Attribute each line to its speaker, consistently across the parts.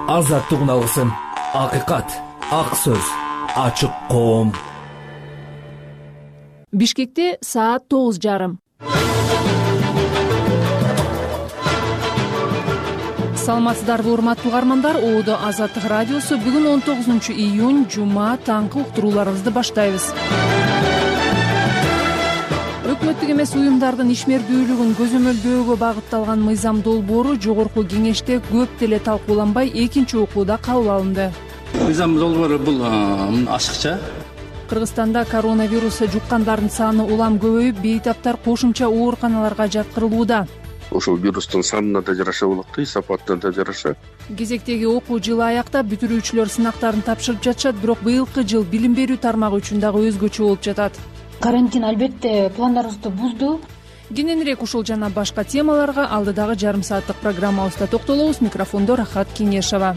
Speaker 1: азаттыгын алгысың. Акыйкат, ак сөз, ачык коом.
Speaker 2: Бишкекте саат 9:30. Саламатсыздарбы урматтуу угармандар? Оодо Азаттык радиосу бүгүн 19-июнь жума таңкы уктурууларыбызды баштайбыз. Өкмөттүк эмес уюмдардын ишмердүүлүгүн көзөмөлдөөгө багытталган мыйзам долбоору жогорку кеңеште көп деле талкууланбай экинчи окууда кабыл алынды.
Speaker 3: Мыйзам долбоору бул ашыкча.
Speaker 2: Кыргызстанда коронавирус жуккандардын саны улам көбөйүп, бейтаптар кошумча ооруканаларга жаткырылууда.
Speaker 4: Ошол вирустун санына да жараша болот, сапатына да жараша.
Speaker 2: Кезектеги окуу жылы аяктап, бүтүрүүчүлөр сынактарын тапшырып жатышат, бирок быйылкы жыл билим берүү тармагы үчүн дагы өзгөчө болуп жатат.
Speaker 5: Карантин албетте пландарыбызды бузду.
Speaker 2: Кененирээк ушул жана башка темаларга алдыдагы жарым сааттык программабызда токтолобуз. Микрофондо Рахат Кеңешова.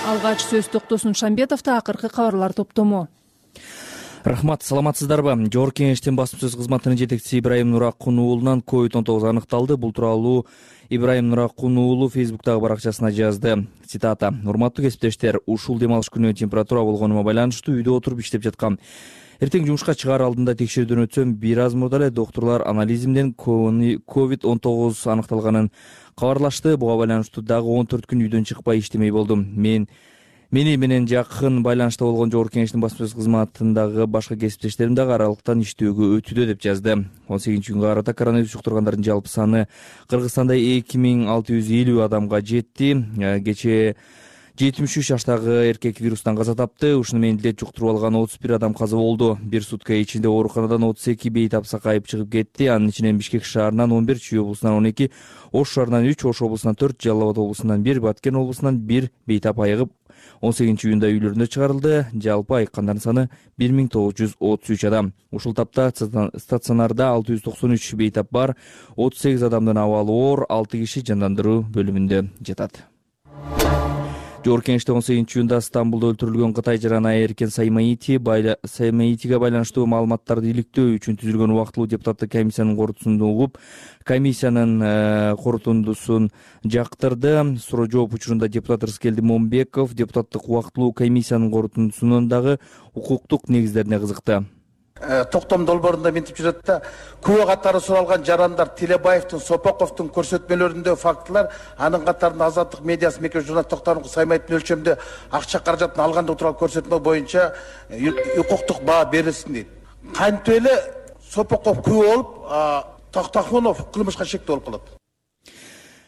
Speaker 2: Алгач сөз Токтосун Шамбетовдо, акыркы кабарлар топтому.
Speaker 6: Рахмат, саламатсыздарбы? Жогорку кеңештин басым сөз кызматынын жетекчиси Ибраим Нуракун уулунан COVID-19 аныкталды. Бул тууралуу Ибраим Нуракун уулу Фейсбуктагы баракчасына жазды. Цитата: "Урматтуу кесиптештер, ушул дем алыш күнү температура болгонума байланыштуу үйдө отуруп иштеп жаткам. Эртең жумушка чыгаар алдында текшерүүдөн өтсөм, бир аз мурда эле доктурлар анализимден COVID-19 аныкталганын кабарлашты. Буга байланыштуу дагы 14 күн үйдөн чыкпай иштемей болдум. Мени менен жакын байланышта болгон жогорку кеңештин басым сөз кызматындагы башка кесиптештерим дагы аралыктан иштөөгө өтүүдө", деп жазды. 18-күнгө карата коронавирус жуктургандардын жалпы саны Кыргызстанда 2650 адамга жетти. Кечээ 73 жаштагы эркек вирустан каза тапты. Ушуну менен илет жуктуруп алган 31 адам каза болду. Бир сутка ичинде ооруканадан 32 бейтап сакайып чыгып кетти. Анын ичинен Бишкек шаарынан 11, Чүй облусунан 12, Ош шаарынан 3, Ош облусунан 4, Жалал Абад облусунан 1, Баткен облусунан 1 бейтап айыгып 18-июнда үйлөрүндө чыгарылды. Жалпы айыккандардын саны 1933 адам. Ушул тапта стационарда 693 бейтап бар, 38 адамдын абалы оор, 6 киши жандандыруу бөлүмүндө жатат. Жогорку кеңеште 18-июнда Стамбулда өлтүрүлгөн Кытай жараны Эркен Саймаитиге байланыштуу маалыматтарды иликтөө үчүн түзүлгөн убактылуу депутаттык комиссиянын корутундусун угуп, комиссиянын корутундусун жактырды. Суроо жооп учурунда депутат Рыскелди Момбеков депутаттык убактылуу комиссиянын корутундусунун дагы укуктук негиздерине кызыкты.
Speaker 7: Токтом долбоорунда мынтип жүрөт да, күбө катары суралган жарандар Телебаевдин, Сопоковдун көрсөтмөлөрүндө фактылар, анын катарында Азаттык медиасы мекеме журналист Токтор Саймаевдин өлчөмдө акча каражатын алгандыгы тууралуу көрсөтмө боюнча укуктук баа берилсин дейт. Кантип эле Сопоков күбө болуп, Токтохунов кылмышка шектүү болуп калат.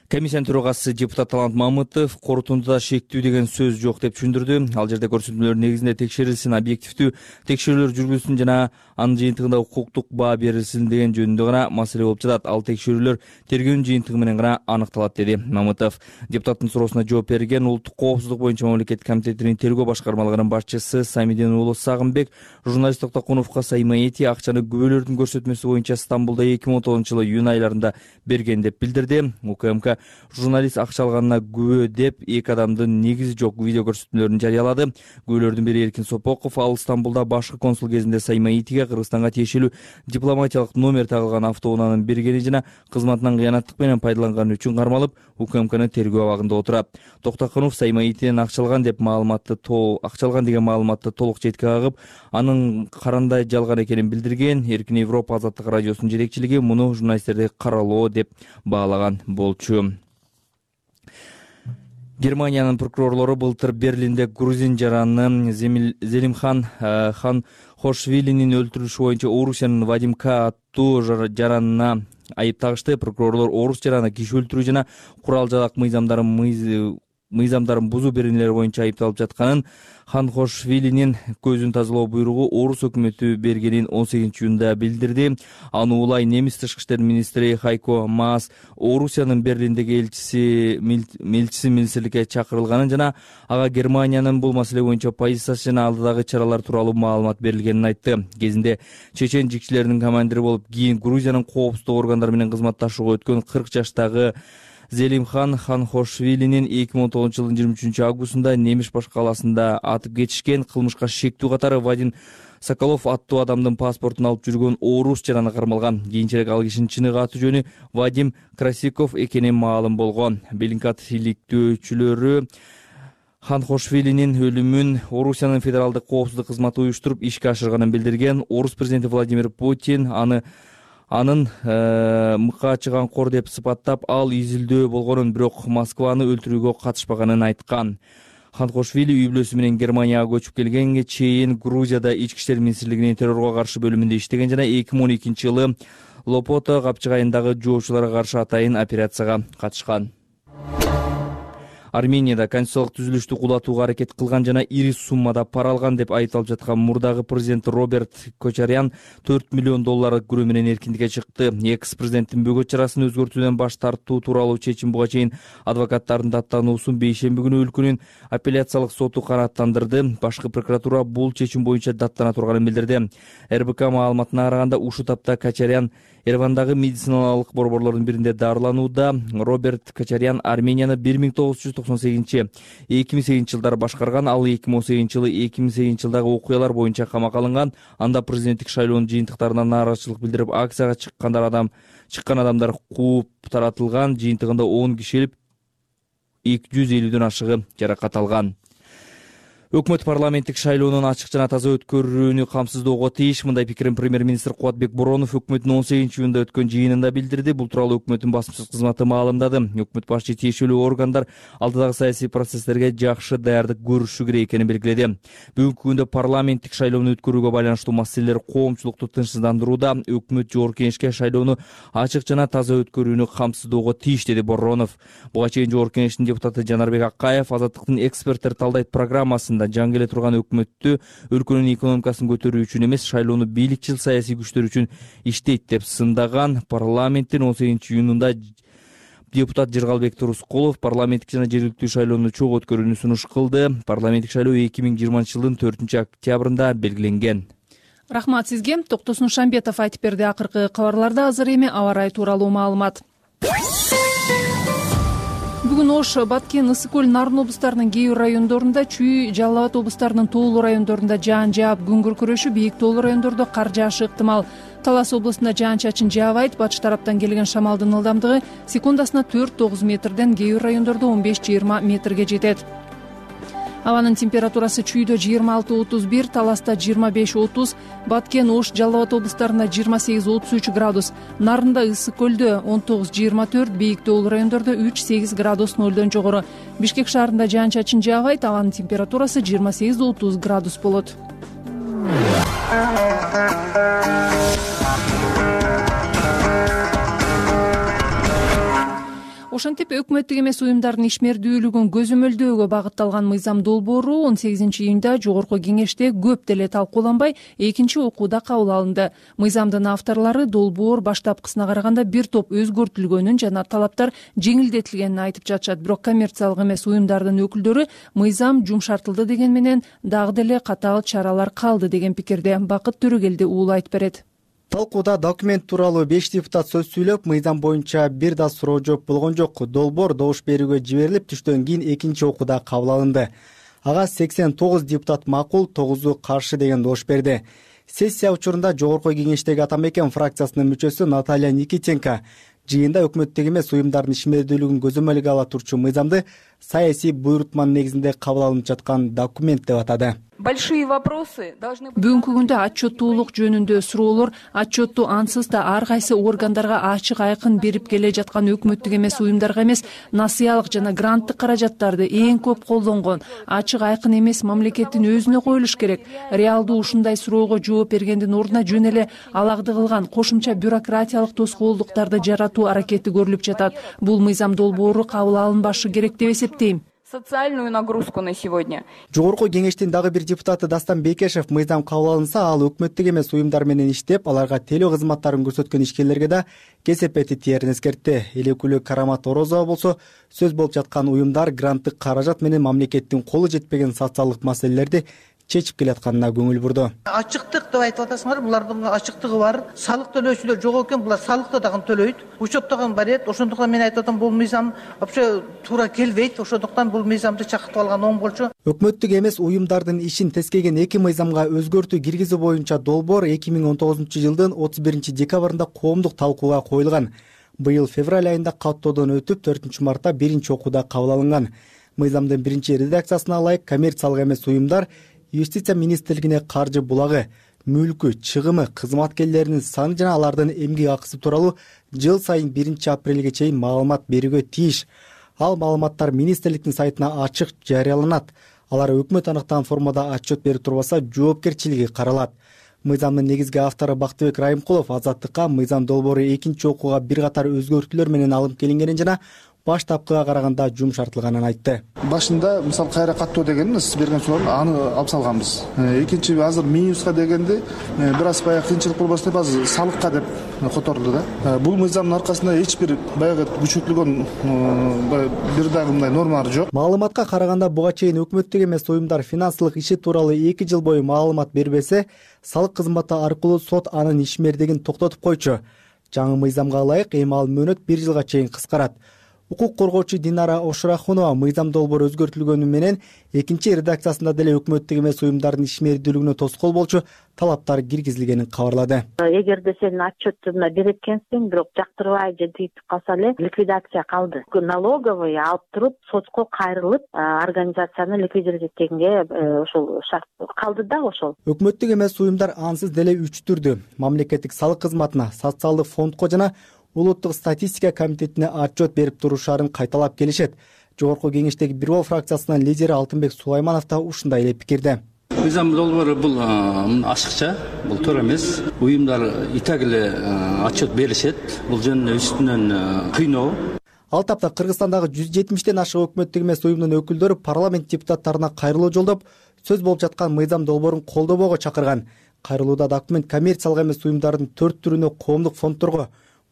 Speaker 6: Комиссиянын төрагасы депутат Талант Мамытов корутундуда шектүү деген сөз жок деп түшүндүрдү. Ал жерде көрсөтмөлөр негизинде текшерилсин, объективдүү текшерүүлөр жүргүзүлсүн жана анын жыйынтыгында укуктук баа берилсин деген жөнүндө гана маселе болуп жатат. Ал текшерүүлөр тергөөнүн жыйынтыгы менен гана аныкталат, деди Мамытов. Депутаттын суроосуна жооп берген Улуттук коопсуздук боюнча мамлекеттик комитетинин тергөө башкармалыгынын башчысы Самидин уулу Сагынбек журналист Токтохуновго Саймаити акчаны күбөлөрдүн көрсөтмөсү боюнча Стамбулда 2019-жылы июнь айларында берген деп билдирди. УКМК журналист акча алганына күбө деп эки адамдын негизи жок видео көрсөтмөлөрүн жарыялады. Күбөлөрдүн бири Эркин Сопоков, ал Стамбулда башкы консул кезинде Саймаитиге Кыргызстанга тиешелүү дипломатиялык номер тагылган автоунаанын бергени жана кызматынан кыянаттык менен пайдаланганы үчүн кармалып, УКМКнын тергөө абагында отурат. Токтохунов Саймаитиден акча алган деген маалыматты толук четке кагып, анын карандай жалган экенин билдирген. Эркин Европа Азаттык радиосунун жетекчилиги муну журналисттерди каралоо деп баалаган болчу. Германиянын прокурорлору былтыр Берлинде грузин жараны Зелимхан Ханхошвилинин өлтүрүлүшү боюнча Орусиянын Вадим К аттуу жаранына айып тагышты. Прокурорлор Орус жараны киши өлтүрүү жана курал жалак мыйзамдарын бузуу беренелери боюнча айыпталып жатканын, Ханхошвилинин көзүн тазалоо буйругу Орус өкмөтү бергенин 18-июнда билдирди. Аны улай немис тышкы иштер министри Хайко Маас Орусиянын Берлиндеги элчиси министрликке чакырылганын жана ага Германиянын бул маселе боюнча позициясы жана алдыдагы чаралар тууралуу маалымат берилгенин айтты. Кезинде чечен жигчилеринин командири болуп, кийин Грузиянын коопсуздук органдары менен кызматташууга өткөн 40 жаштагы Зелимхан Ханхошвилинин 2019-жылдын 23 августунда Немиш баш калаасында атып кетишкен. Кылмышка шектүү катары Вадим Соколов аттуу адамдын паспортун алып жүргөн орус жараны кармалган. Кийинчерээк ал кишинин чыныгы аты жөнү Вадим Красиков экени маалым болгон. Белинкат иликтөөчүлөрү Ханхошвилинин өлүмүн Орусиянын федералдык коопсуздук кызматы уюштуруп ишке ашырганын билдирген. Орус президенти Владимир Путин анын мыкаачы камкор деп сыпаттап, ал изилдөө болгонун, бирок Москваны өлтүрүүгө катышпаганын айткан. Ханхошвили үй бүлөсү менен Германияга көчүп келгенге чейин Грузияда ички иштер министрлигинин террорго каршы бөлүмүндө иштеген жана 2012 жылы Лопото капчыгайындагы жоочуларга каршы атайын операцияга катышкан. Арменияда конституциялык түзүлүштү кулатууга аракет кылган жана ири суммада пара алган деп айыпталып жаткан мурдагы президент Роберт Кочарян $4 миллион күрөө менен эркиндикке чыкты. Экс-президенттин бөгөт чарасын өзгөртүүдөн баш тартуу тууралуу чечим буга чейин адвокаттардын даттануусун бейшемби күнү өлкөнүн апелляциялык соту канааттандырды. Башкы прокуратура бул чечим боюнча даттана турганын билдирди. РБК маалыматына караганда ушул тапта Кочарян Еревандагы медициналык борборлордун биринде дарыланууда. Роберт Кочарян Арменияны 1998-2008 жылдары башкарган. Ал 2018 жылы 2008 жылдагы окуялар боюнча камакка алынган. Анда президенттик шайлоонун жыйынтыктарына нааразычылык билдирип, акцияга чыккан адамдар кууп таратылган. Жыйынтыгында 10 киши өлүп, 250дөн ашыгы жаракат алган. Өкмөт парламенттик шайлоонун ачык жана таза өткөрүүнү камсыздоого тийиш. Мындай пикирин премьер-министр Кубатбек Боронов өкмөттүн 18-июнда өткөн жыйынында билдирди. Бул тууралуу өкмөттүн басмачыл кызматы маалымдады. Өкмөт башчы тиешелүү органдар алдыдагы саясий процесстерге жакшы даярдык көрүшү керек экенин белгиледи. Бүгүнкү күндө парламенттик шайлоону өткөрүүгө байланыштуу маселелер коомчулукту тынчсыздандырууда. Өкмөт Жогорку Кеңешке шайлоону ачык жана таза өткөрүүнү камсыздоого тийиш, деди Боронов. Буга чейин Жогорку Кеңештин депутаты Жанарбек Акаев Азаттыктын эксперттер талдайт программасында жаңы келе турган өкмөттү өлкөнүн экономикасын көтөрүү үчүн эмес, шайлоону бийликчил саясий күчтөр үчүн иштейт деп сындаган. Парламенттин 18-июнунда депутат Жыргалбек Турускулов парламенттик жана жергиликтүү шайлоону чогуу өткөрүүнү сунуш кылды. Парламенттик шайлоо 2020-жылдын 4-октябрында белгиленген.
Speaker 2: Рахмат сизге. Токтосун Шамбетов айтып берди. Акыркы кабарларда азыр эми аба ырайы тууралуу маалымат. Бүгүн Ош, Баткен, Ысык көл, Нарын облустарынын кээ бир райондорунда, Чүй, Жалал Абад облустарынын тоолуу райондорунда жаан жаап, күн күркүрөшү, бийик тоолуу райондордо кар жаашы ыктымал. Талас облусунда жаан-чачын жаабайт. Батыш тараптан келген шамалдын ылдамдыгы секундасына 4-9 метрден, кээ бир райондордо 15-20 метрге жетет. Абанын температурасы Чүйдө 26-31, Таласта 25-30, Баткен, Ош, Жалал Абад облустарында 28-33 градус, Нарында, Ысык көлдө 19-24, бийик тоолуу райондордо 3-8 градус нөлдөн жогору. Бишкек шаарында жаан-чачын жаабайт. Абанын температурасы 28-30 градус болот. Ошентип өкмөттүк эмес уюмдардын ишмердүүлүгүн көзөмөлдөөгө багытталган мыйзам долбоору 18-июнда Жогорку Кеңеште көп деле талкууланбай экинчи окууда кабыл алынды. Мыйзамдын авторлору долбоор баштапкысына караганда бир топ өзгөртүлгөнүн жана талаптар жеңилдетилгенин айтып жатышат. Бирок коммерциялык эмес уюмдардын өкүлдөрү мыйзам жумшартылды деген менен дагы деле катаал чаралар калды деген пикирде. Бакыт Төрөгелди уулу айтып берет.
Speaker 8: Талкууда документ тууралуу 5 депутат сөз сүйлөп, мыйзам боюнча бир да суроо жооп болгон жок. Долбоор добуш берүүгө жиберилип, түштөн кийин экинчи окууда кабыл алынды. Ага 89 депутат макул, 9-у каршы деген добуш берди. Сессия учурунда Жогорку Кеңештеги Ата Мекен фракциясынын мүчөсү Наталья Никитенко жыйында өкмөттүк эмес уюмдардын ишмердүүлүгүн көзөмөлгө ала турчу мыйзамды саясий буйрутманын негизинде кабыл алынып жаткан документ деп атады.
Speaker 9: Большие вопросы должны быть.
Speaker 2: Бүгүнкү күндө отчеттуулук жөнүндө суроолор отчетту ансыз да ар кайсы органдарга ачык айкын берип келе жаткан өкмөттүк эмес уюмдарга эмес, насыялык жана гранттык каражаттарды эң көп колдонгон ачык айкын эмес мамлекеттин өзүнө коюлуш керек. Реалдуу ушундай суроого жооп бергендин ордуна жөн эле алагды кылган кошумча бюрократиялык тоскоолдуктарды жаратуу аракети көрүлүп жатат. Бул мыйзам долбоору кабыл алынбашы керек деп эсептейм.
Speaker 9: Социальную нагрузку на сегодня.
Speaker 8: Жогорку Кеңештин дагы бир депутаты Дастан Бекешев мыйзам кабыл алынса, ал өкмөттүк эмес уюмдар менен иштеп, аларга телөө кызматтарын көрсөткөн ишкерлерге да кесепети тиерин эскертти. Эл өкүлү Карамат Орозова болсо, сөз болуп жаткан уюмдар гранттык каражат менен мамлекеттин колу жетпеген социалдык маселелерди чечип келатканына көңүл бурду.
Speaker 10: Ачыктык деп айтып атасыңар, булардын ачыктыгы бар. Салык төлөөчүлөр жок экен, булар салыкты дагы төлөйт. Учет дагы бар эт. Ошондуктан мен айтып атам, бул мыйзам вообще туура келбейт. Ошондуктан бул мыйзамды чакыртып алган оң болчу.
Speaker 8: Өкмөттүк эмес уюмдардын ишин тескеген эки мыйзамга өзгөртүү киргизүү боюнча долбоор 2019-жылдын 31-декабрында коомдук талкууга коюлган. Быйыл февраль айында каттоодон өтүп, 4-мартта биринчи окууда кабыл алынган. Мыйзамдын биринчи редакциясына ылайык коммерциялык эмес уюмдар Юстиция министрлигине каржы булагы, мүлкү, чыгымы, кызматкерлеринин саны жана алардын эмгек акысы тууралуу жыл сайын 1-апрелге чейин маалымат берүүгө тийиш. Ал маалыматтар министрликтин сайтына ачык жарыяланат. Алар өкмөт аныктаган формада отчет берип турбаса, жоопкерчилиги каралат. Мыйзамдын негизги автору Бактыбек Райымкулов Азаттыкка мыйзам долбоору экинчи окууга бир катар өзгөртүүлөр менен алып келингенин жана баштапкыга караганда жумшартылганын айтты.
Speaker 11: Башында мисалы кайра каттоо дегенде сиз берген суроonu аны алып салганбыз. Экинчи азыр минуска дегенде бир аз баягы кыйынчылык болбосун деп азыр салыкка деп которулду да. Бул мыйзамдын аркасында эч бир баягы күчөтүлгөн бир дагы мындай нормалар жок.
Speaker 8: Маалыматка караганда буга чейин өкмөттүк эмес уюмдар финансылык иши тууралуу 2 жыл бою маалымат бербесе, салык кызматы аркылуу сот анын ишмердигин токтотуп койчу. Жаңы мыйзамга ылайык эми ал мөөнөт 1 жылга чейин кыскарат. Укук коргоочу Динара Ошурахунова мыйзам долбоору өзгөртүлгөнү менен экинчи редакциясында деле өкмөттүк эмес уюмдардын ишмердүүлүгүнө тоскоол болчу талаптар киргизилгенин кабарлады.
Speaker 12: Эгерде сен отчетуна берет экенсиң, бирок жактырбай же тийтип калса эле ликвидация калды. Налоговый алып туруп сотко кайрылып, организацияны ликвидировать эткенге ошол шарт калды да ошол.
Speaker 8: Өкмөттүк эмес уюмдар ансыз деле 3 түрдү мамлекеттик салык кызматына, социалдык фондко жана Улуттук статистика комитетине отчет берип турушарын кайталап келишет. Жогорку кеңештеги Бирөө фракциясынын лидери Алтынбек Сулайманов да ушундай эле пикирде.
Speaker 3: Мыйзам долбоору бул ачыкча, бул туура эмес. Уюмдар и так эле отчет беришет. Бул жөнүндө үстүнөн кыйноо.
Speaker 8: Ал тапта Кыргызстандагы 170тен ашык өкмөттүк эмес уюмдун өкүлдөрү парламент депутаттарына кайрылуу жолдоп, сөз болуп жаткан мыйзам долбоорун колдобоого чакырган. Кайрылууда документ коммерциялык эмес уюмдардын 4 түрүнө коомдук фондторго,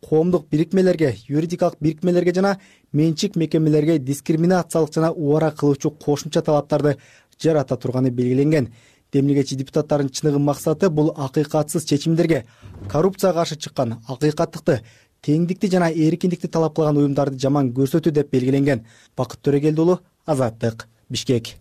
Speaker 8: коомдук бирикмелерге, юридикалык бирикмелерге жана менчик мекемелерге дискриминациялык жана убара кылуучу кошумча талаптарды жарата турганы белгиленген. Демилгечи депутаттардын чыныгы максаты бул акыйкатсыз чечимдерге, коррупцияга каршы чыккан, акыйкаттыкты, теңдикти жана эркиндикти талап кылган уюмдарды жаман көрсөтүү деп белгиленген. Бакыт Төрөгелди уулу, Азаттык, Бишкек.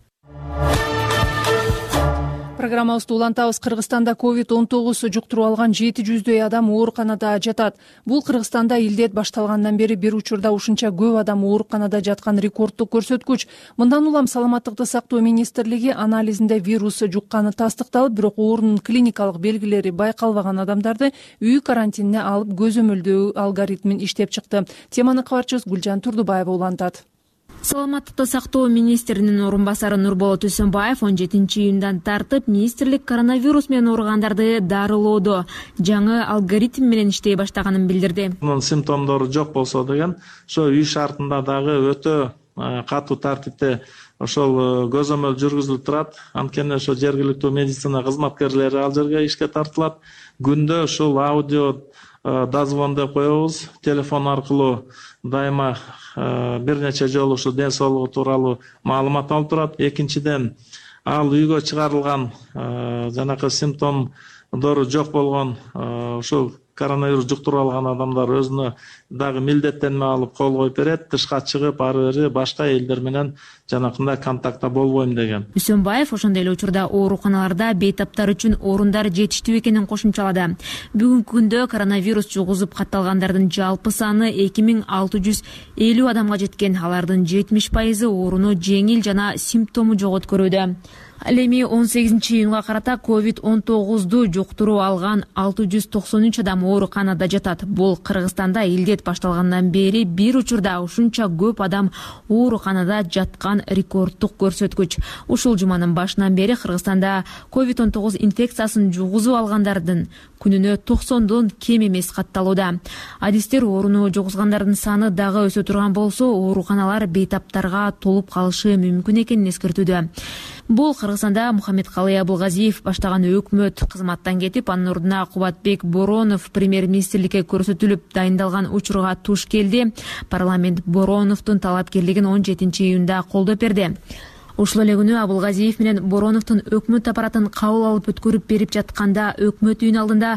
Speaker 2: Программабызды улантабыз. Кыргызстанда COVID-19 жуктуруп алган 700дөй адам ооруканада жатат. Бул Кыргызстанда илдет башталгандан бери бир учурда ушунча көп адам ооруканада жаткан рекорддук көрсөткүч. Мындан улам саламаттыкты сактоо министрлиги анализинде вирус жукканы тастыкталып, бирок оорунун клиникалык белгилери байкалбаган адамдарды үй карантинине алып көзөмөлдөө алгоритмин иштеп чыкты. Теманы кабарчыбыз Гүлжан Турдубаева улантат.
Speaker 13: Саламаттыкты сактоо министринин орун басары Нурболот Үсөнбаев 17-июндан тартып министрлик коронавирус менен ооругандарды дарылоодо жаңы алгоритм менен иштей баштаганын билдирди.
Speaker 14: Мунун симптомдору жок болсо деген, ошо үй шартында дагы өтө катуу тартипте ошол көзөмөл жүргүзүлүп турат. Анткени ошо жергиликтүү медицина кызматкерлери ал жерге ишке тартылат. Күндө ушул аудио дозвон деп коебуз. Телефон аркылуу дайыма бир нече жолу ушу ден соолугу тууралуу маалымат алып турат. Экинчиден, ал үйгө чыгарылган жанакы симптомдору жок болгон ушул коронавирус жуктуруп алган адамдар өзүнө дагы милдеттенме алып кол коюп берет. Тышка чыгып, ары бери башка элдер менен жанакындай контактта болбойм деген.
Speaker 13: Үсөнбаев ошондой эле учурда ооруканаларда бейтаптар үчүн орундар жетиштүү экенин кошумчалады. Бүгүнкү күндө коронавирус жугузуп катталгандардын жалпы саны 2650 адамга жеткен. Алардын 70% ооруну жеңил жана симптому жок өткөрүүдө. Ал эми 18-июнга карата COVID-19 жуктуруп алган 693 адам ооруканада жатат. Бул Кыргызстанда илдет башталгандан бери бир учурда ушунча көп адам ооруканада жаткан рекорддук көрсөткүч. Ушул жуманын башынан бери Кыргызстанда COVID-19 инфекциясын жугузуп алгандардын күнүнө 90дон кем эмес катталууда. Адистер ооруну жугузгандардын саны дагы өсө турган болсо, ооруканалар бейтаптарга толуп калышы мүмкүн экенин эскертүүдө. Бул Кыргызстанда Мухаммедкалый Абылгазиев баштаган өкмөт кызматтан кетип, анын ордуна Кубатбек Боронов премьер-министрликке көрсөтүлүп дайындалган учурга туш келди. Парламент Бороновдун талапкерлигин 17-июнда колдоп берди. Ушул эле күнү Абылгазиев менен Бороновдун өкмөт аппаратын кабыл алып өткөрүп берип жатканда өкмөт үйүнүн алдында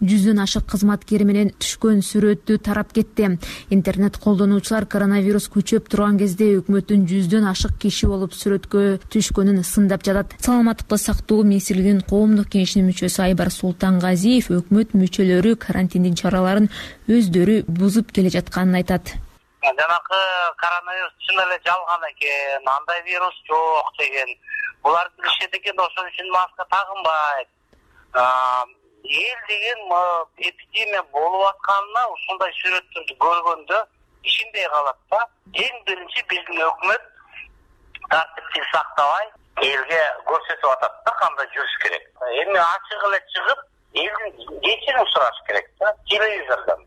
Speaker 13: 100дөн ашык кызматкери менен түшкөн сүрөтү тарап кетти. Интернет колдонуучулар коронавирус күчөп турган кезде өкмөттүн 100дөн ашык киши болуп сүрөткө түшкөнүн сындап жатат. Саламаттыкты сактоо министрлигинин коомдук кеңешинин мүчөсү Айбар Султангазиев өкмөт мүчөлөрү карантиндин чараларын өздөрү бузуп келе жатканын айтат.
Speaker 15: Жанакы коронавирус чын эле жалган экен, андай вирус жок деген. Булар билишет экен, ошон үчүн маска тагынбайт. Эл деген эпидемия болуп атканына ушундай сүрөттөрдү көргөндө ишенбей калат да. Эң биринчи биздин өкмөт тартипти сактабай элге көрсөтүп атат да кандай жүрүш керек. Эми ачык эле чыгып элдин кечирим сураш керек да телевизордон.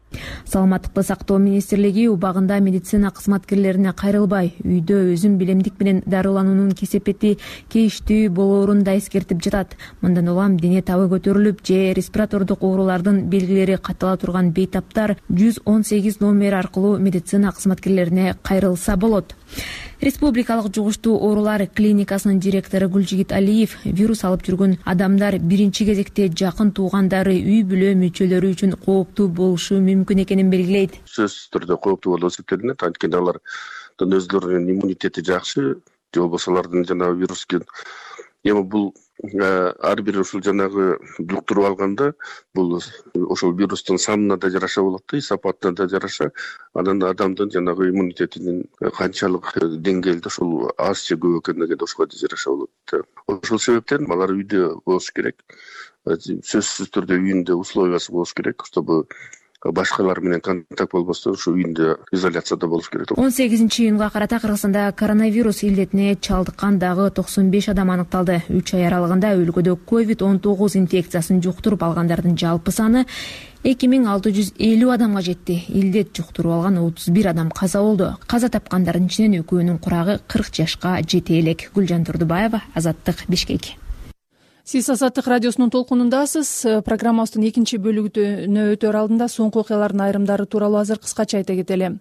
Speaker 13: Саламаттыкты сактоо министрлиги убагында медицина кызматкерлерине кайрылбай, үйдө өзүн билемдик менен дарылануунун кесепети кейиштүү болоорун да эскертип жатат. Мындан улам дене табы көтөрүлүп же респиратордук оорулардын белгилери каттала турган бейтаптар 118 номери аркылуу медицина кызматкерлерине кайрылса болот. Республикалык жугуштуу оорулар клиникасынын директору Гүлжигит Алиев вирус алып жүргөн адамдар биринчи кезекте жакын туугандары, үй бүлө мүчөлөрү үчүн кооптуу болушу мүмкүн экенин белгилейт.
Speaker 4: Сөзсүз түрдө кооптуу болуп эсептелинет. Анткени алардын өздөрүнүн иммунитети жакшы, же болбосо алардын жанагы вируске эми бул ар бир ушул жанагы жуктуруп алганда бул ошол вирустун санына да жараша болот да, сапатына да жараша. Анан адамдын жанагы иммунитетинин канчалык деңгээлде ушул аз же көп экендиги да ошого да жараша болот. Ошол себептен алар үйдө болуш керек. Сөзсүз түрдө үйүндө условиясы болуш керек, чтобы башкалар менен контакт болбостон ушу үйүндө изоляцияда болуш керек.
Speaker 13: 18-июнга карата Кыргызстанда коронавирус илдетине чалдыккан дагы 95 адам аныкталды. 3 ай аралыгында өлкөдө COVID-19 инфекциясын жуктуруп алгандардын жалпы саны 2650 адамга жетти. Илдет жуктуруп алган 31 адам каза болду. Каза тапкандардын ичинен экөөнүн курагы 40 жашка жете элек. Гүлжан Турдубаева, Азаттык, Бишкек.
Speaker 2: Сиз Азаттык радиосунун толкунундасыз. Программабыздын экинчи бөлүгүнө өтөр алдында соңку окуялардын айрымдары тууралуу азыр кыскача айта кетели.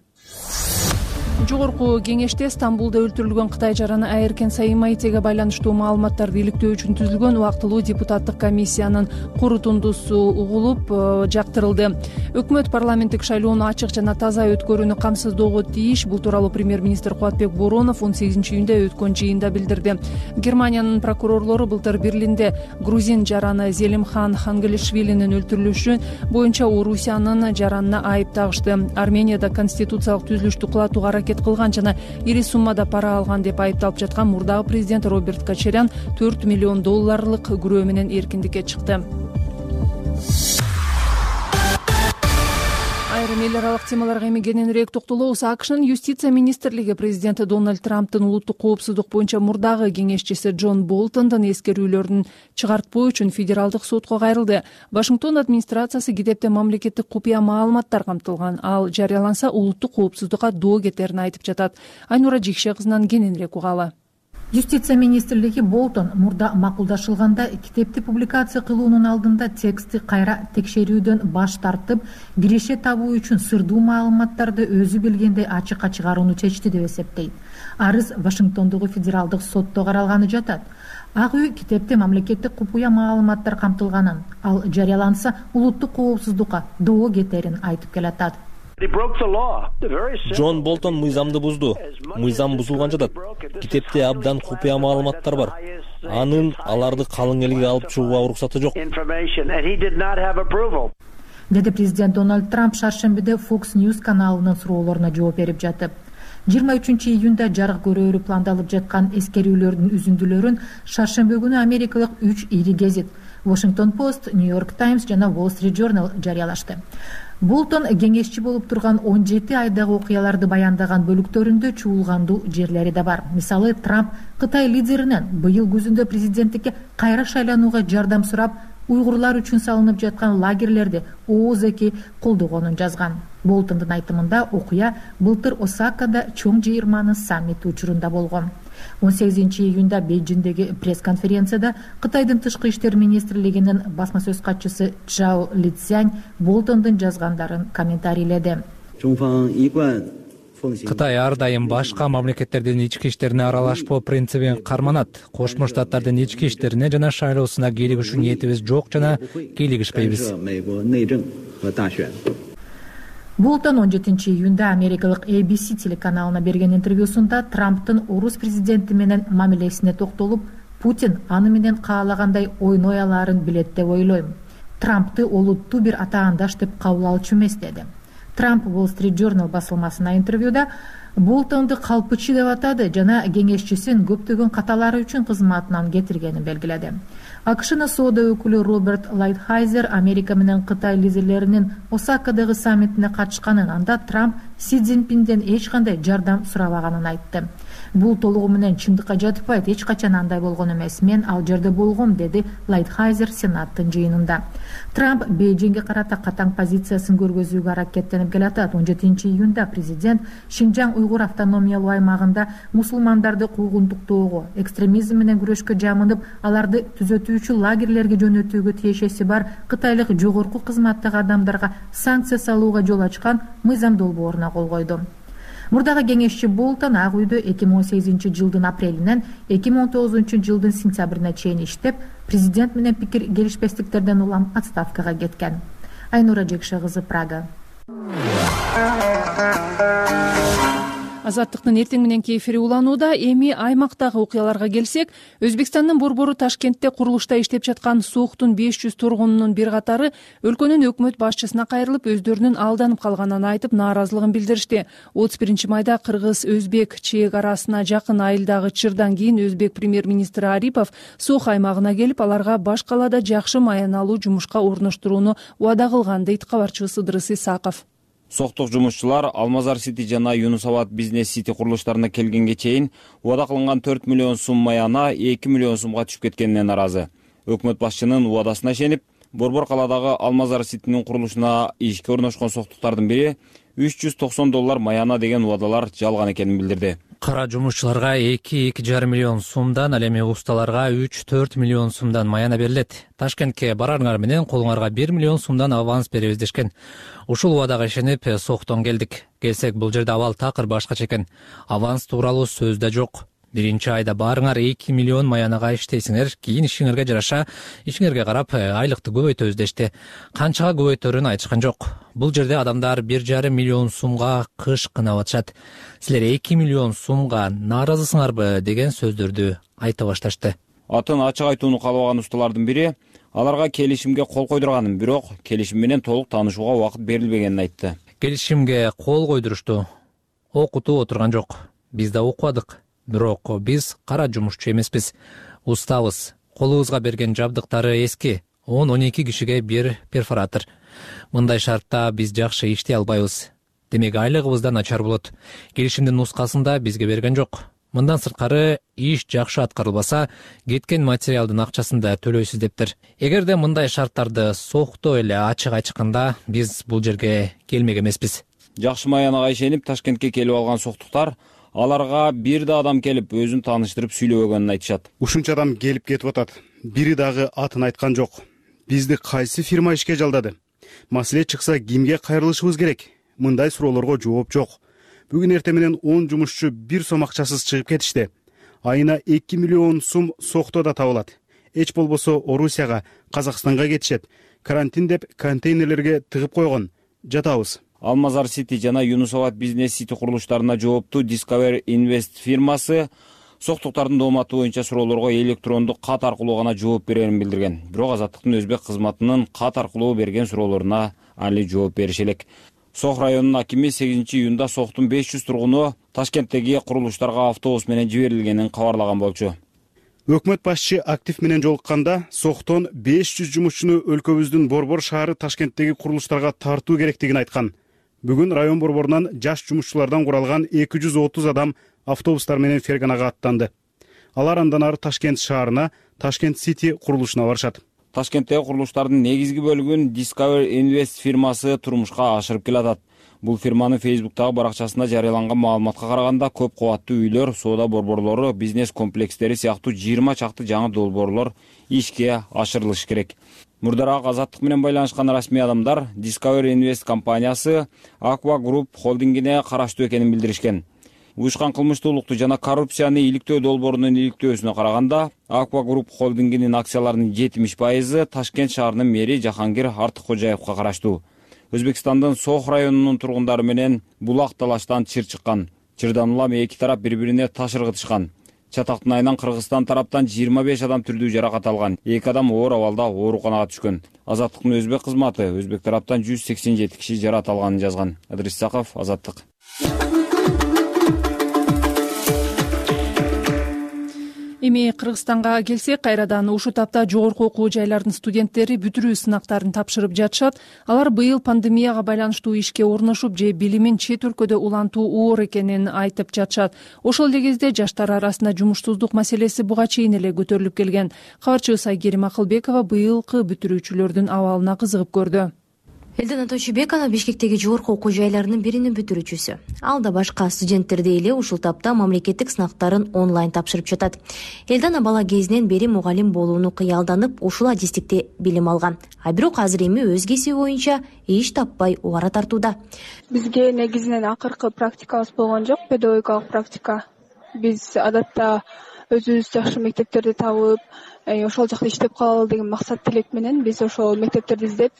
Speaker 2: Жогорку кеңеште Стамбулда өлтүрүлгөн Кытай жараны Айыркен Саимайтиге байланыштуу маалыматтарды иликтөө үчүн түзүлгөн убактылуу депутаттык комиссиянын корутундусу угулуп жактырылды. Өкмөт парламенттик шайлоону ачык жана таза өткөрүүнү камсыздоого тийиш. Бул тууралуу премьер-министр Кубатбек Боронов 18-июнда өткөн жыйында билдирди. Германиянын прокурорлору былтыр Берлинде грузин жараны Зелимхан Хангелишвилинин өлтүрүлүшү боюнча Орусиянын жаранына айып тагышты. Арменияда конституциялык түзүлүштү кулатууга аракет кылган жана ири суммада пара алган деп айыпталып жаткан мурдагы президент Роберт Кочарян $4 миллион күрөө менен эркиндикке чыкты. Айрым эл аралык темаларга эми кененирээк токтолобуз. АКШнын юстиция министрлиги президент Дональд Трамптын улуттук коопсуздук боюнча мурдагы кеңешчиси Джон Болтондун эскерүүлөрүн чыгартпоо үчүн федералдык сотко кайрылды. Вашингтон администрациясы китепте мамлекеттик купуя маалыматтар камтылган. Ал жарыяланса улуттук коопсуздукка доо кетерин айтып жатат. Айнура Жикше кызынан кененирээк угалы.
Speaker 16: Юстиция министрлиги Болтон мурда макулдашылганда китепти публикация кылуунун алдында текстти кайра текшерүүдөн баш тартып, киреше табуу үчүн сырдуу маалыматтарды өзү билгендей ачыкка чыгарууну чечти деп эсептейт. Арыз Вашингтондогу федералдык сотто каралганы жатат. Ак үй китепте мамлекеттик купуя маалыматтар камтылганын, ал жарыяланса улуттук коопсуздукка доо кетерин айтып келатат.
Speaker 17: Джон Болтон мыйзамды бузду. Мыйзам бузулган жатат. Китепте абдан купуя маалыматтар бар. Анын аларды калың элге алып чыгууга уруксаты жок.
Speaker 16: Деди президент Дональд Трамп шаршембиде Fox News каналынын суроолоруна жооп берип жатып. 23-июнда жарык көрүүрү пландалып жаткан эскерүүлөрдүн үзүндүлөрүн шаршембе күнү америкалык 3 ири гезит Washington Post, New York Times жана Wall Street Journal жарыялашты. Болтон кеңешчи болуп турган 17 айдагы окуяларды баяндаган бөлүктөрүндө чуулгандуу жерлери да бар. Мисалы, Трамп Кытай лидеринен быйыл күзүндө президенттикке кайра шайланууга жардам сурап, уйгурлар үчүн салынып жаткан лагерлерди ооз-эки колдогонун жазган. Болтондун айтымында окуя былтыр Осакада чоң жыйырманын саммити учурунда болгон. 18-июнда Бейжиңдеги пресс-конференцияда Кытайдын тышкы иштер министрлигинин басма сөз катчысы Чжао Лицзянь Болтондун жазгандарын комментарийледи.
Speaker 18: Кытай ар дайым башка мамлекеттердин ички иштерине аралашпоо принцибин карманат. Кошмо Штаттардын ички иштерине жана шайлоосуна кийлигишүү ниетибиз жок жана кийлигишпейбиз.
Speaker 16: Болтон 17-июнда америкалык ABC телеканалына берген интервьюсунда Трамптын орус президенти менен мамилесине токтолуп, Путин аны менен каалагандай ойной алаарын билет деп ойлойм. Трампты олуттуу бир атаандаш деп кабыл алчу эмес деди. Трамп Wall Street Journal басылмасына интервьюда Болтонду калпычы деп атады жана кеңешчисин көптөгөн каталары үчүн кызматынан кетиргенин белгиледи. АКШнын соода өкүлү Роберт Лайтхайзер Америка менен Кытай лидерлеринин Осакадагы саммитине катышканын, анда Трамп Си Цзиньпинден эч кандай жардам сурабаганын айтты. Бул толугу менен чындыкка жатпайт, эч качан андай болгон эмес. Мен ал жерде болгом, деди Лайтхайзер Сенаттын жыйынында. Трамп Бейжиңге карата катаң позициясын көргөзүүгө аракеттенип келатат. 17-июнда президент Шинжаң уйгур автономиялуу аймагында мусулмандарды куугунтуктоого, экстремизм менен күрөшкө жамынып, аларды түзөтүүчү лагерлерге жөнөтүүгө тиешеси бар кытайлык жогорку кызматтагы адамдарга санкция салууга жол ачкан мыйзам долбооруна кол койду. Мурдагы кеңешчи Болтон Ак үйдө 2018 жылдын апрелинен 2019 жылдын сентябрине чейин иштеп, президент менен пикир келишпестиктерден улам отставкага кеткен. Айнура Жекше кызы, Прага.
Speaker 2: Азаттыктын эртең мененки эфири уланууда. Эми аймактагы окуяларга келсек, Өзбекстандын борбору Ташкентте курулушта иштеп жаткан Сооктун 500 тургунунун бир катары өлкөнүн өкмөт башчысына кайрылып, өздөрүнүн алданып калганын айтып, нааразылыгын билдиришти. 31 майда кыргыз-өзбек чек арасына жакын айылдагы чырдан кийин өзбек премьер-министри Арипов Соох аймагына келип, аларга баш калаада жакшы маяналуу жумушка орноштурууну убада кылган, дейт кабарчыбыз Ыдырыс Исаков.
Speaker 19: Сооктук жумушчулар Алмазар Сити жана Юнусабад бизнес сити курулуштарына келгенге чейин убада кылынган 4 миллион сум маяна 2 миллион сумга түшүп кеткенине наразы. Өкмөт башчынын убадасына ишенип, Борбор каладагы Алмазар Ситинин курулушуна ишке орношкон сооктуктардын бири $390 маяна деген убадалар жалган экенин билдирди.
Speaker 18: Кара жумушчуларга 2,5 миллион сумдан, ал эми усталарга 3-4 миллион сумдан маяна берилет. Ташкентке барарыңар менен колуңарга 1 миллион сумдан аванс беребиз дешкен. Ушул убадага ишенип Сооктон келдик. Келсек, бул жерде абал такыр башкача экен. Аванс тууралуу сөз да жок. Биринчи айда барыңар 2 миллион маянага иштейсиңер, кийин ишиңерге жараша, ишиңерге карап айлыкты көбөйтөбүз дешти. Канчага көбөйтөрүн айтышкан жок. Бул жерде адамдар 1,5 миллион сумга кыш кынап атышат. Силер 2 миллион сумга нааразысыңарбы деген сөздөрдү айта башташты.
Speaker 19: Атын ачык айтууну каалабаган усталардын бири аларга келишимге кол койдурганын, бирок келишим менен толук таанышууга убакыт берилбегенин айтты.
Speaker 18: Келишимге кол койдурушту. Окутуп отурган жок. Биз да окубадык. Бирок биз кара жумушчу эмеспиз. Устабыз. Колубузга берген жабдыктары эски. 10-12 кишиге бир перфоратор. Мындай шартта биз жакшы иштей албайбыз. Демек айлыгыбыз да начар болот. Келишимдин нускасында бизге берген жок. Мындан сырткары иш жакшы аткарылбаса, кеткен материалдын акчасын да төлөйсүз дептир. Эгерде мындай шарттарды Соокто эле ачык айтышканда, биз бул жерге келмек эмеспиз.
Speaker 19: Жакшы маянага ишенип Ташкентке келип алган сооктуктар аларга бир да адам келип өзүн тааныштырып сүйлөбөгөнүн айтышат.
Speaker 20: Ушунча адам келип кетип атат. Бири дагы атын айткан жок. Бизди кайсы фирма ишке жалдады? Маселе чыкса кимге кайрылышыбыз керек? Мындай суроолорго жооп жок. Бүгүн эртең менен 10 жумушчу бир сом акчасыз чыгып кетишти. Айына 2 миллион сум Сооктода табылат. Эч болбосо Орусияга, Казакстанга кетишет. Карантин деп контейнерлерге тыгып койгон. Жатабыз.
Speaker 19: Алмазар Сити жана Юнусабад бизнес сити курулуштарына жооптуу Discover Invest фирмасы сооктуктардын дооматы боюнча суроолорго электрондук кат аркылуу гана жооп берерин билдирген. Бирок Азаттыктын өзбек кызматынын кат аркылуу берген суроолоруна али жооп бериши элек. Соох районунун акими 8-июнда Сооктун 500 тургуну Ташкенттеги курулуштарга автобус менен жиберилгенин кабарлаган болчу.
Speaker 20: Өкмөт башчы актив менен жолукканда Сооктон 500 жумушчуну өлкөбүздүн Борбор шаары Ташкенттеги курулуштарга тартуу керектигин айткан. Бүгүн район борборунан жаш жумушчулардан куралган 230 адам автобустар менен Ферганага аттанды. Алар андан ары Ташкент шаарына, Ташкент Сити курулушуна барышат.
Speaker 19: Ташкенттеги курулуштардын негизги бөлүгүн Discover Invest фирмасы турмушка ашырып келатат. Бул фирманын Facebook'тагы баракчасында жарыяланган маалыматка караганда көп кабаттуу үйлөр, соода борборлору, бизнес комплекстери сыяктуу 20 чакты жаңы долбоорлор ишке ашырылышы керек. Мурдараак Азаттык менен байланышкан расмий адамдар Discover Invest компаниясы Aqua Group холдингине караштуу экенин билдиришкен. Уюшкан кылмыштуулукту жана коррупцияны иликтөө долбоорунун иликтөөсүнө караганда Aqua Group холдингинин акцияларынын 70% Ташкент шаарынын мэри Жахангир Артыккожаевга караштуу. Өзбекстандын Сох районунун тургундары менен булак талаштан чыр чыккан. Чырдан улам эки тарап бири-бирине таш ыргытышкан. Чатактын айынан Кыргызстан тараптан 25 адам түрдүү жаракат алган. 2 адам оор абалда ооруканага түшкөн. Азаттыктын өзбек кызматы өзбек тараптан 187 киши жаракат алганын жазган. Адрис Саков, Азаттык.
Speaker 2: Эми Кыргызстанга келсек, кайрадан ушу тапта жогорку окуу жайларынын студенттери бүтүрүү сынактарын тапшырып жатышат. Алар быйыл пандемияга байланыштуу ишке орношуп же билимин чет өлкөдө улантуу оор экенин айтып жатышат. Ошол эле кезде жаштар арасында жумуштуулдук маселеси буга чейин эле көтөрүлүп келген. Кабарчыбыз Айгерим Акылбекова быйылкы бүтүрүүчүлөрдүн абалына кызыгып көрдү.
Speaker 21: Элдана Тойчубекова Бишкектеги жогорку окуу жайларынын биринин бүтүрүүчүсү. Ал да башка студенттердей эле ушул тапта мамлекеттик сынактарын онлайн тапшырып жатат. Элдана бала кезинен бери мугалим болууну кыялданып, ушул адистикте билим алган. А бирок азыр эми өз кесиби боюнча иш таппай убара тартууда.
Speaker 22: Бизге негизинен акыркы практикабыз болгон жок, педагогикалык практика. Биз адатта өзүбүз жакшы мектептерди табып, ошол жакта иштеп калалы деген максат тилек менен биз ошол мектептерди издеп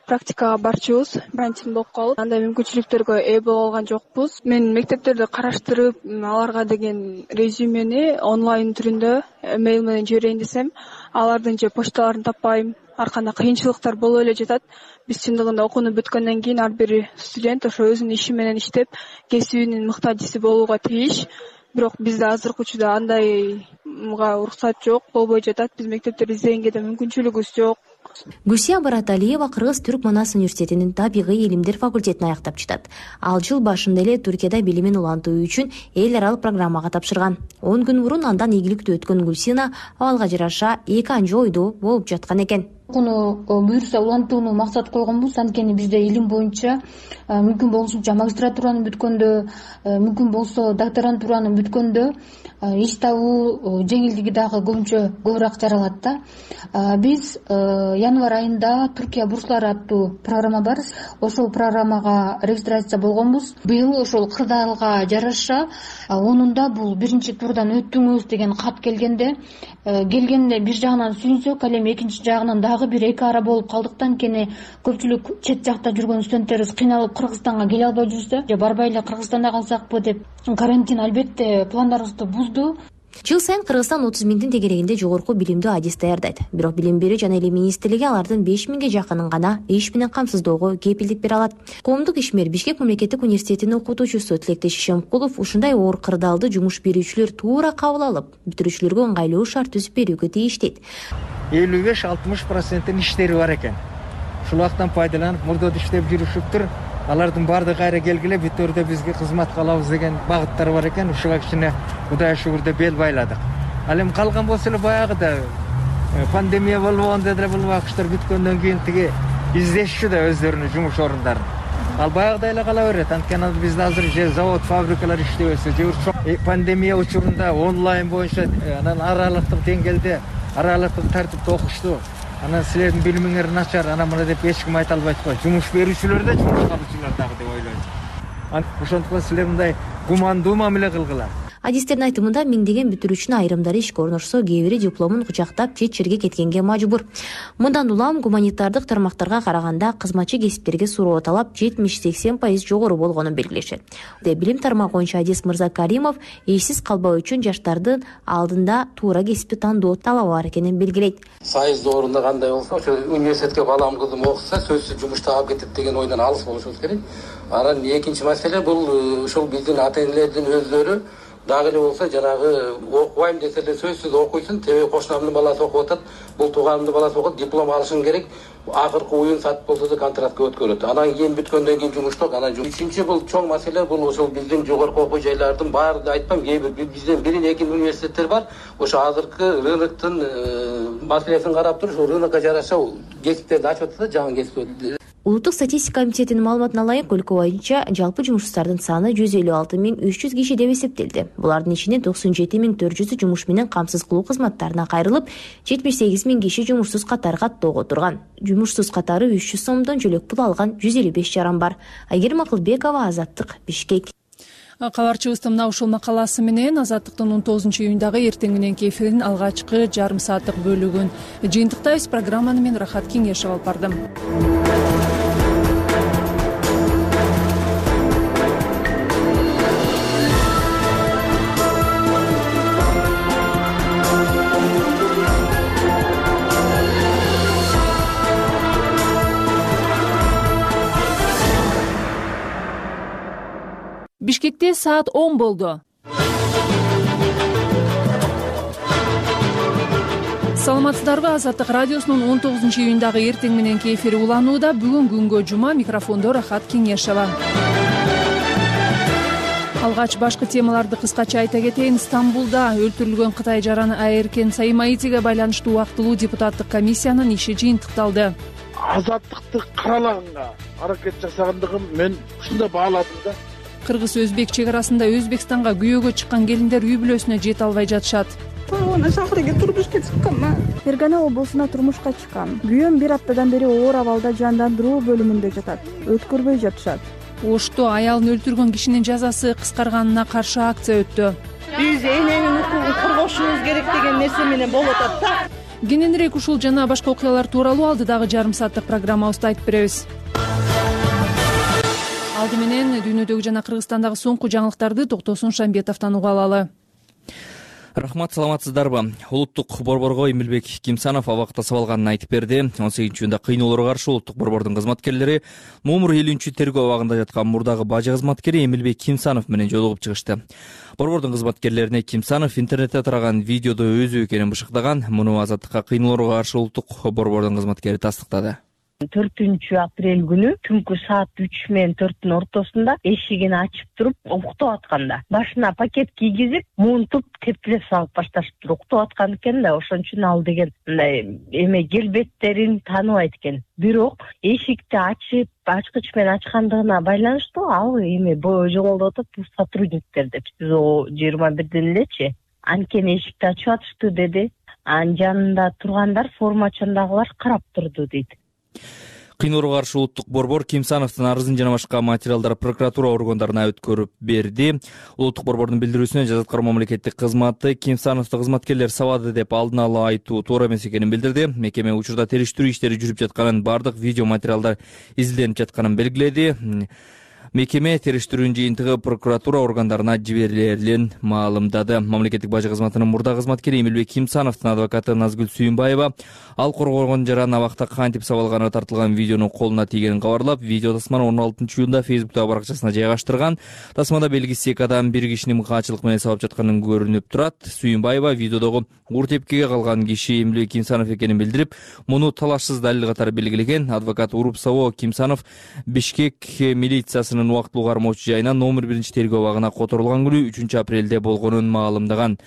Speaker 22: практикага барчубуз. Карантин болуп калып, андай мүмкүнчүлүктөргө ээ боло алган жокпуз. Мен мектептерди караштырып, аларга деген резюмени онлайн түрүндө мейл менен жиберейин десем, алардын же почталарын таппайм. Ар кандай кыйынчылыктар болуп эле жатат. Биз чындыгында окууну бүткөндөн кийин ар бир студент ошо өзүнүн иши менен иштеп, кесибинин муктажиси болууга тийиш. Бирок бизде азыркы учурда андайга уруксат жок, болбой жатат. Биз мектептерди издегенге да мүмкүнчүлүгүбүз жок.
Speaker 21: Гүлсия Бараталиева Кыргыз-Түрк Манас университетинин табигый илимдер факультетин аяктап чыгат. Ал жыл башында эле Түркияда билимин улантуу үчүн эл аралык программага тапшырган. 10 күн мурун андан ийгиликтүү өткөн Гүлсина абалга жараша эки анча ойдуу болуп жаткан экен.
Speaker 5: Окууну буюрса улантууну максат койгонбуз. Анткени бизде илим боюнча мүмкүн болушунча магистратураны бүткөндө, мүмкүн болсо докторантураны бүткөндө иш табуу жеңилдиги дагы көбүрөөк жаралат да. Биз январь айында Түркия бурслары аттуу программа бар. Ошол программага регистрация болгонбуз. Быйыл ошол кырдаалга жараша 10-унда бул биринчи турдан өттүңүз деген кат келгенде бир жагынан сүйүнсөк, ал эми экинчи жагынан дагы бир эки ара болуп калдыктан анткени көпчүлүк чет жакта жүргөн студенттерибиз кыйналып Кыргызстанга келе албай жүрсө, же барбай эле Кыргызстанда калсакпы деп карантин албетте пландарыбызды бузду.
Speaker 21: Жыл сайын Кыргызстан 30 миңдин тегерегинде жогорку билимдүү адис даярдайт. Бирок билим берүү жана эле министрлиги алардын 5 миңге жакынын гана иш менен камсыздоого кепилдик бере алат. Коомдук ишмер Бишкек мамлекеттик университетинин окутуучусу Тилектеш Ишемкулов ушундай оор кырдаалды жумуш берүүчүлөр туура кабыл алып, бүтүрүүчүлөргө ыңгайлуу шарт түзүп берүүгө тийиш дейт.
Speaker 23: 55-60% иштери бар экен. Ушул убактан пайдаланып, мурдода иштеп жүрүшүптүр. Алардын баардыгы кайра келгиле бүт өрдө бизге кызмат кылабыз деген багыттар бар экен. Ушуга кичине Кудайга шүгүр деп бел байладык. Ал эми калган болсо эле баягыда пандемия болбогондо деле бул убакыттар бүткөндөн кийин тиги издешчү да өздөрүнүн жумуш орундарын. Ал баягыдай эле кала берет. Анткени бизде азыр же завод, фабрикалар иштебесе, же пандемия учурунда онлайн боюнча анан аралыктык деңгээлде, аралыктык тартипте окушту. Анан силердин билимиңер начар, анан мына деп эч ким айта албайт го. Жумуш берүүчүлөр да, жумуш алуучулар дагы деп ойлойм. Ошондуктан силер мындай гумандуу мамиле кылгыла.
Speaker 21: Адистердин айтымында миңдеген бүтүрүүчүнүн айрымдары ишке орношсо, кээ бири дипломун кучактап чет жерге кеткенге мажбур. Мындан улам гуманитардык тармактарга караганда кызматчы кесиптерге суроо талап 70-80% жогору болгонун белгилешет. Билим тармагы боюнча адис Мырза Каримов ишсиз калбоо үчүн жаштардын алдында туура кесипти тандоо талабы бар экенин белгилейт.
Speaker 3: Сайыз орунда кандай болсо, ошо университетке балам кызым окуса, сөзсүз жумуш таап кетет деген ойдон алыс болушубуз керек. Анан экинчи маселе бул ушул биздин ата-энелердин өздөрү дагы эле болсо жанагы окубайм десе эле сөзсүз окуйсун, тебе кошунамдын баласы окуп атат, бул тууганымдын баласы окуп, диплом алышың керек. Акыркы уюн сатып болсо да контрактка өткөрөт. Анан кийин бүткөндөн кийин жумушток. Анан үчүнчү бул чоң маселе бул ошол биздин жогорку окуу жайлардын баары айтпам, кээ бир бизден бирин экин университеттер бар. Ошо азыркы рыноктун маселесин карап туруп, ошо рынокко жараша кесиптерди ачып атат да, жаңы кесип.
Speaker 21: Улуттук статистика комитетинин маалыматына ылайык, өлкө боюнча жалпы жумушсуздардын саны 156.300 киши деп эсептелди. Булардын ичинде 97.400 жумуш менен камсыз кылуу кызматтарына кайрылып, 78.000 киши жумушсуз катары каттоого турган. Жумушсуз катары 300 сомдон жөлөк пул алган 155 жаран бар. Айгерим Акылбекова, Азаттык, Бишкек.
Speaker 2: Кабарчыбыздын мына ушул макаласы менен Азаттыктын 19-июндагы эртең мененки эфирдин алгачкы жарым сааттык бөлүгүн жыйынтыктайбыз. Программаны мен Рахат Кеңешев алып бардым. Бишкекте саат 10 болду. Саламатсыздарбы? Азаттык радиосунун 19-июндагы эртең мененки эфири уланууда. Бүгүн күнгө жума, микрофондо Рахат Кеңешева. Алгач башкы темаларды кыскача айта кетейин. Стамбулда өлтүрүлгөн Кытай жараны Аэркен Саимаитиге байланыштуу убактылуу депутаттык комиссиянын иши жыйынтыкталды.
Speaker 1: Азаттыкты каралаганга аракет жасагандыгын мен ушундай бааладым да.
Speaker 2: Кыргыз-Өзбек чек арасында Өзбекстанга күйөөгө чыккан келиндер үй бүлөсүнө жете албай жатышат.
Speaker 6: Шаарга турмушка чыкканмын. Фергана облусуна турмушка чыккан. Күйөөм бир аптадан бери оор абалда жандандыруу бөлүмүндө жатат. Өткөрбөй жатышат.
Speaker 2: Ошто аялын өлтүргөн кишинин жазасы кыскарганына каршы акция өттү.
Speaker 7: Биз эненин укугун коргошубуз керек деген нерсе менен болуп атат да.
Speaker 2: Кененирээк ушул жана башка окуялар тууралуу алдыдагы жарым сааттык программабызда айтып беребиз. Алды менен дүйнөдөгү жана Кыргызстандагы соңку жаңылыктарды Токтосун Шамбетовдон уга алалы.
Speaker 24: Рахмат, саламатсыздарбы? Улуттук борборго Эмилбек Кимсанов абакта сабалганын айтып берди. 18-июнда кыйноолорго каршы улуттук борбордун кызматкерлери номер 50-тергөө абагында жаткан мурдагы бажы кызматкери Эмилбек Кимсанов менен жолугуп чыгышты. Борбордун кызматкерлерине Кимсанов интернетте тараган видеодо өзү экенин бышыктаган. Муну Азаттыкка кыйноолорго каршы улуттук борбордун кызматкери тастыктады.
Speaker 12: 4-апрель күнү түнкү саат 3 менен 4-тун ортосунда эшигин ачып туруп уктап атканда башына пакет кийгизип муунтуп тепкилеп салып башташыптыр. Уктап аткан экен да, ошон үчүн ал деген мындай эме келбеттерин тааныбайт экен. Бирок эшикти ачып ачкыч менен ачкандыгына байланыштуу ал эме жоголуп атат, бул сотрудниктер деп. Сиз 21-ден элечи анткени эшикти ачып атышты деди. Анын жанында тургандар формачындагылар карап турду дейт.
Speaker 24: Кыйноолорго каршы улуттук борбор Кимсановдун арызын жана башка материалдар прокуратура органдарына өткөрүп берди. Улуттук борбордун билдирүүсүнө жаза аткаруу мамлекеттик кызматы Кимсановду кызматкерлер сабады деп алдын ала айтуу туура эмес экенин билдирди. Мекеме учурда териштирүү иштери жүрүп жатканын, бардык видео материалдар изилденип жатканын белгиледи. Мекеме териштирүүнүн жыйынтыгы прокуратура органдарына жиберилерин маалымдады. Мамлекеттик бажы кызматынын мурда кызматкери Эмилбек Кимсановдун адвокаты Назгүл Сүйүнбаева ал коргогон жаран абакта кантип сабалганы тартылган видеонун колуна тийгенин кабарлап, видео тасманы 16-июнда Facebook'тагы баракчасына жайгаштырган. Тасмада белгисиз эки адам бир кишини мыкаачылык менен сабап жатканын көрүнүп турат. Сүйүнбаева видеодогу ур тепкиге калган киши Эмилбек Кимсанов экенин билдирип, муну талашсыз далил катары белгилеген. Адвокат уруп сабоо Кимсанов Бишкек милициясынын убактылуу кармоочу жайынан номер 1-тергөө абагына которулган күнү 3-апрелде болгонун маалымдаган.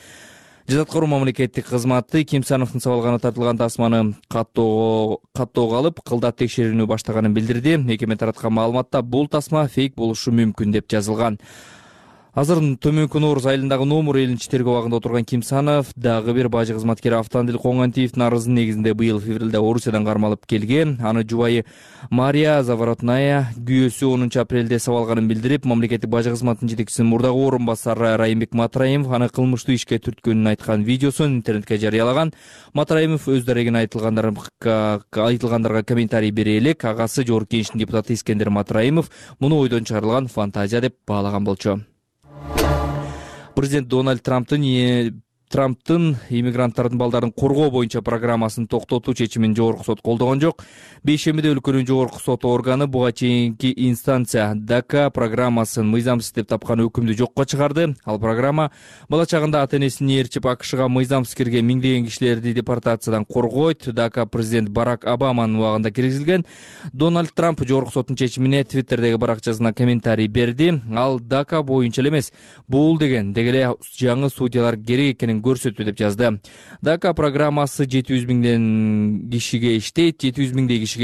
Speaker 24: Жаза аткаруу мамлекеттик кызматы Кимсановдун сабалганы тартылган тасманы каттоого алып, кылдат текшерүүнү баштаганын билдирди. Мекеме тараткан маалыматта бул тасма фейк болушу мүмкүн деп жазылган. Азыр Төмөнкү Нооруз айылындагы номер 50-тергөө абагында отурган Кимсанов дагы бир бажы кызматкери Автандил Коңгантиевдин арызынын негизинде быйыл февралда Орусиядан кармалып келген. Аны жубайы Мария Заворотная күйөөсү 10-апрелде сабалганын билдирип, мамлекеттик бажы кызматынын жетекчисинин мурдагы орун басары Райымбек Матраимов аны кылмыштуу ишке түрткөнүн айткан видеосун интернетке жарыялаган. Матраимов өз дарегине айтылгандарга комментарий бере элек, агасы Жогорку Кеңештин депутаты Искендер Матраимов муну ойдон чыгарылган фантазия деп баалаган болчу. Президент Дональд Трамптын иммигранттардын балдарын коргоо боюнча программасын токтотуу чечимин Жогорку сот колдогон жок. Бейшембиде өлкөнүн Жогорку сот органы буга чейинки инстанция ДАКА программасын мыйзамсыз деп тапкан өкүмдү жокко чыгарды. Ал программа бала чагында ата-энесин ээрчип АКШга мыйзамсыз кирген миңдеген кишилерди депортациядан коргойт. ДАКА президент Барак Обаманын убагында киргизилген. Дональд Трамп Жогорку соттун чечимине Твиттердеги баракчасына комментарий берди. Ал ДАКА боюнча эле эмес, бул деген эле жаңы судьялар керек экенин берген көрсөтүү деп жазды. ДАКА программасы 700 миңдей кишиге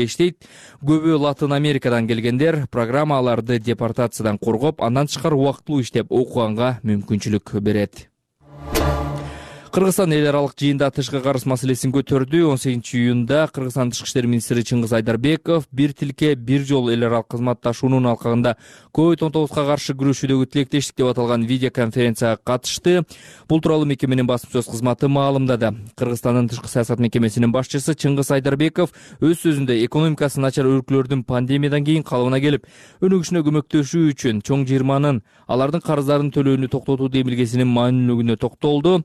Speaker 24: иштейт. Көбү Латын Америкадан келгендер. Программа аларды депортациядан коргоп, андан тышкары убактылуу иштеп окуганга мүмкүнчүлүк берет. Кыргызстан эл аралык жыйында тышкы карыз маселесин көтөрдү. 18-июнда Кыргызстан тышкы иштер министри Чыңгыз Айдарбеков бир тилке бир жол эл аралык кызматташуунун алкагында COVID-19 каршы күрөшүүдөгү тилектештик деп аталган видеоконференцияга катышты. Бул тууралуу мекеменин басма сөз кызматы маалымдады. Кыргызстандын тышкы саясат мекемесинин башчысы Чыңгыз Айдарбеков өз сөзүндө экономикасы начар өлкөлөрдүн пандемиядан кийин калыбына келип, өнүгүшүнө көмөктөшүү үчүн чоң жыйырманын алардын карыздарын төлөөнү токтотуу демилгесинин маанилүүлүгүнө токтолду.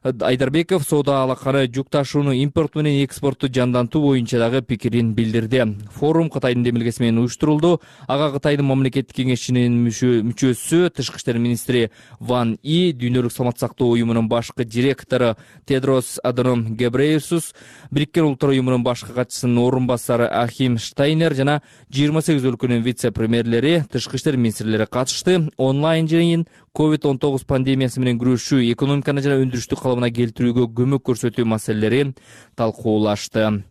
Speaker 24: Айдарбеков соода алаканы, жүк ташууну, импорт менен экспортту жандантуу боюнча дагы пикирин билдирди. Форум Кытайдын демилгеси менен уюштурулду. Ага Кытайдын мамлекеттик кеңешинин мүчөсү, тышкы иштер министри Ван И, Дүйнөлүк саламаттык сактоо уюмунун башкы директору Тедрос Аданом Гебрейесус, Бириккен Улуттар уюмунун башкы катчысынын орун басары Ахим Штайнер жана 28 өлкөнүн вице-премьерлери, тышкы иштер министрлери катышты. Онлайн жыйын COVID-19 пандемиясы менен күрөшүү, экономиканы жана өндүрүштү калыбына келтирүүгө көмөк көрсөтүү маселелери талкуулашты.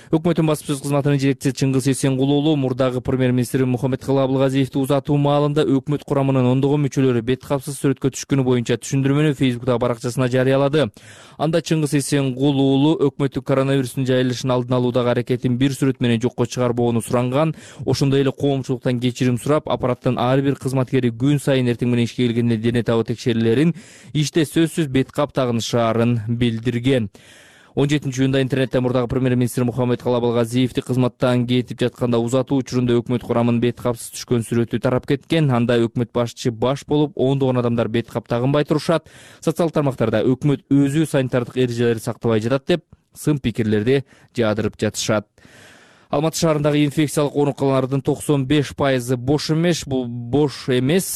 Speaker 24: Өкмөттүн басма сөз кызматынын жетекчиси Чыңгыз Эсенгулуу мурдагы премьер-министр Мухаммедкалый Абылгазиевди узатуу маалында өкмөт курамынын ондогон мүчөлөрү бет капсыз сүрөткө түшкөнү боюнча түшүндүрмөнү Facebook'тагы баракчасына жарыялады. Анда Чыңгыз Эсенгулуу өкмөттүн коронавирустун жайылышын алдын алуудагы аракетин бир сүрөт менен жокко чыгарбоону суранган, ошондой эле коомчулуктан кечирим сурап, аппараттын ар бир кызматкери күн сайын эртең менен ишке келгенде дене табы текшерүүлөрүн иште сөзсүз бет кап тагынышаарын билдирген. 17-июнда интернетте мурдагы премьер-министр Мухаммедкалый Абылгазиевди кызматтан кетип жатканда узатуу учурунда өкмөт курамынын бет капсыз түшкөн сүрөтү тарап кеткен. Анда өкмөт башчы баш болуп, ондогон адамдар бет кап тагынбай турушат. Социалдык тармактарда өкмөт өзү санитардык эрежелерди сактабай жатат деп сын пикирлерди жаадырып жатышат. Алматы шаарындагы инфекциялык ооруканалардын 95% бош эмес.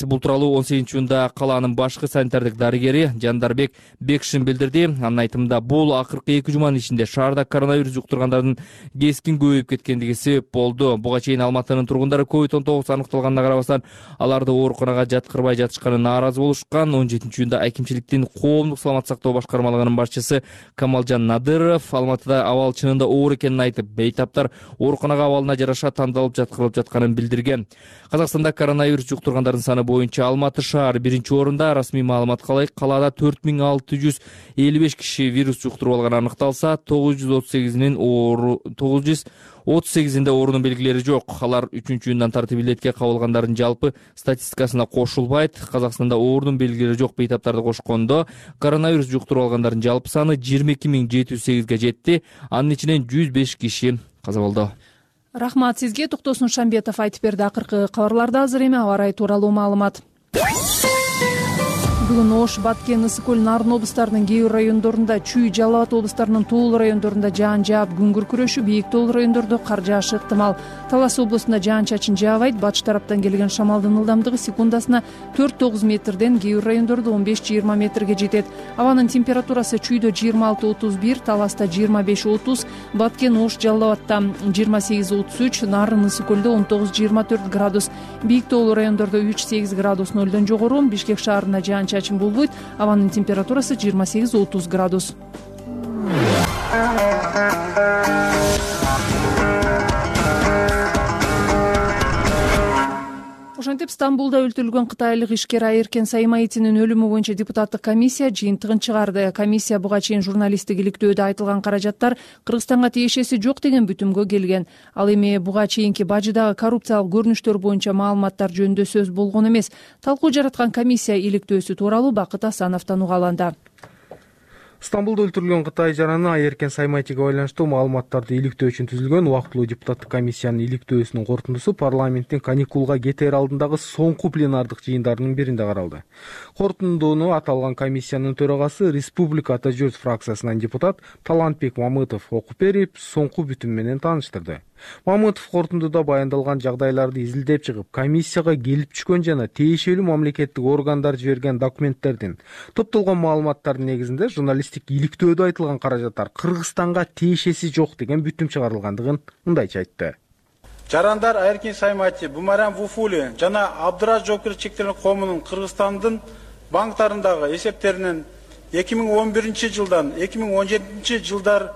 Speaker 24: Бул тууралуу 18-июнда калаанын башкы санитардык дарыгери Жандарбек Бекшин билдирди. Анын айтымында бул акыркы 2 жуманын ичинде шаарда коронавирус жуктургандардын кескин көбөйүп кеткендиги себеп болду. Буга чейин Алматынын тургундары COVID-19 аныкталганына карабастан аларды ооруканага жаткырбай жатышканы нааразы болушкан. 17-июнда акимчиликтин коомдук саламаттык сактоо башкармалыгынын башчысы Камалжан Надыров Алматыда абал чынында оор экенин айтып, бейтаптар ооруканага абалына жараша тандалып жаткырылып жатканын билдирген. Казакстанда коронавирус жуктургандардын саны боюнча Алматы шаары 1-орунда. Расмий маалыматка ылайык калаада 4655 киши вирус жуктуруп алганы аныкталса, 938-inde оорунун белгилери жок. Алар 3-июндан тартып илетке кабылгандардын жалпы статистикасына кошулбайт. Казакстанда оорунун белгилери жок бейтаптарды кошкондо коронавирус жуктуруп алгандардын жалпы саны 22708-ге жетти. Анын ичинен 105 киши каза болду.
Speaker 2: Рахмат сизге. Токтосун Шамбетов айтып берди. Акыркы кабарларда азыр эми аба ырайы тууралуу маалымат. Бүгүн Ош, Баткен, Ысык көл, Нарын облустарынын кээ бир райондорунда, Чүй, Жалал Абад облустарынын тоолуу райондорунда жаан жаап, күн күркүрөшү, бийик тоолуу райондордо кар жаашы ыктымал. Талас облусунда жаан-чачын жаабайт. Батыш тараптан келген шамалдын ылдамдыгы секундасына 4-9 метрден, кээ бир райондордо 15-20 метрге жетет. Абанын температурасы Чүйдө 26-31, Таласта 25-30, Баткен, Ош, Жалал Абадта 28-33, Нарын, Ысык көлдө 19-24 градус. Бийик тоолуу райондордо 3-8 градус нөлдөн жогору. Бишкек шаарында жаан-чачын болбойт. Абанын температурасы 28-30 градус. Ошентип Стамбулда өлтүрүлгөн кытайлык ишкер Айеркен Саймаитинин өлүмү боюнча депутаттык комиссия жыйынтыгын чыгарды. Комиссия буга чейин журналисттик иликтөөдө айтылган каражаттар Кыргызстанга тиешеси жок деген бүтүмгө келген. Ал эми буга чейинки бажыдагы коррупциялык көрүнүштөр боюнча маалыматтар жөнүндө сөз болгон эмес. Талкуу жараткан комиссия иликтөөсү тууралуу Бакыт Асановдон угаланды.
Speaker 8: Стамбулда өлтүрүлгөн Кытай жараны Айеркен Саймаитиге байланыштуу маалыматтарды иликтөө үчүн түзүлгөн убактылуу депутаттык комиссиянын иликтөөсүнүн корутундусу парламенттин каникулга кетээр алдындагы соңку пленардык жыйындарынын биринде каралды. Корутундууну аталган комиссиянын төрагасы Республика Ата Журт фракциясынан депутат Талантбек Мамытов окуп берип, соңку бүтүм менен тааныштырды. Мамытов корутундуда баяндалган жагдайларды изилдеп чыгып, комиссияга келип түшкөн жана тиешелүү мамлекеттик органдар жиберген документтердин, топтолгон маалыматтардын негизинде журналисттик иликтөөдө айтылган каражаттар Кыргызстанга тиешеси жок деген бүтүм чыгарылгандыгын мындайча айтты.
Speaker 9: Жарандар Айеркен Саймаити, Бумаран Вуфули жана Абдыраж жоопкерчиликтүү коомунун Кыргызстандын банктарындагы эсептеринен жылдан 2017 жылдар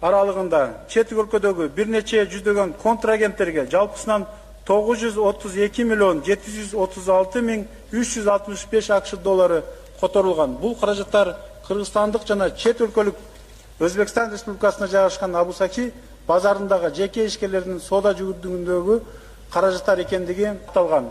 Speaker 9: аралыгында чет өлкөдөгү бир нече жүздөгөн контрагенттерге жалпысынан 932 миллион 736 миң 365 акш доллары которулган. Бул каражаттар кыргызстандык жана чет өлкөлүк Өзбекстан Республикасына жайгашкан Абусаки базарындагы жеке ишкерлердин соода жүгүрдүгүндөгү каражаттар экендиги айтылган.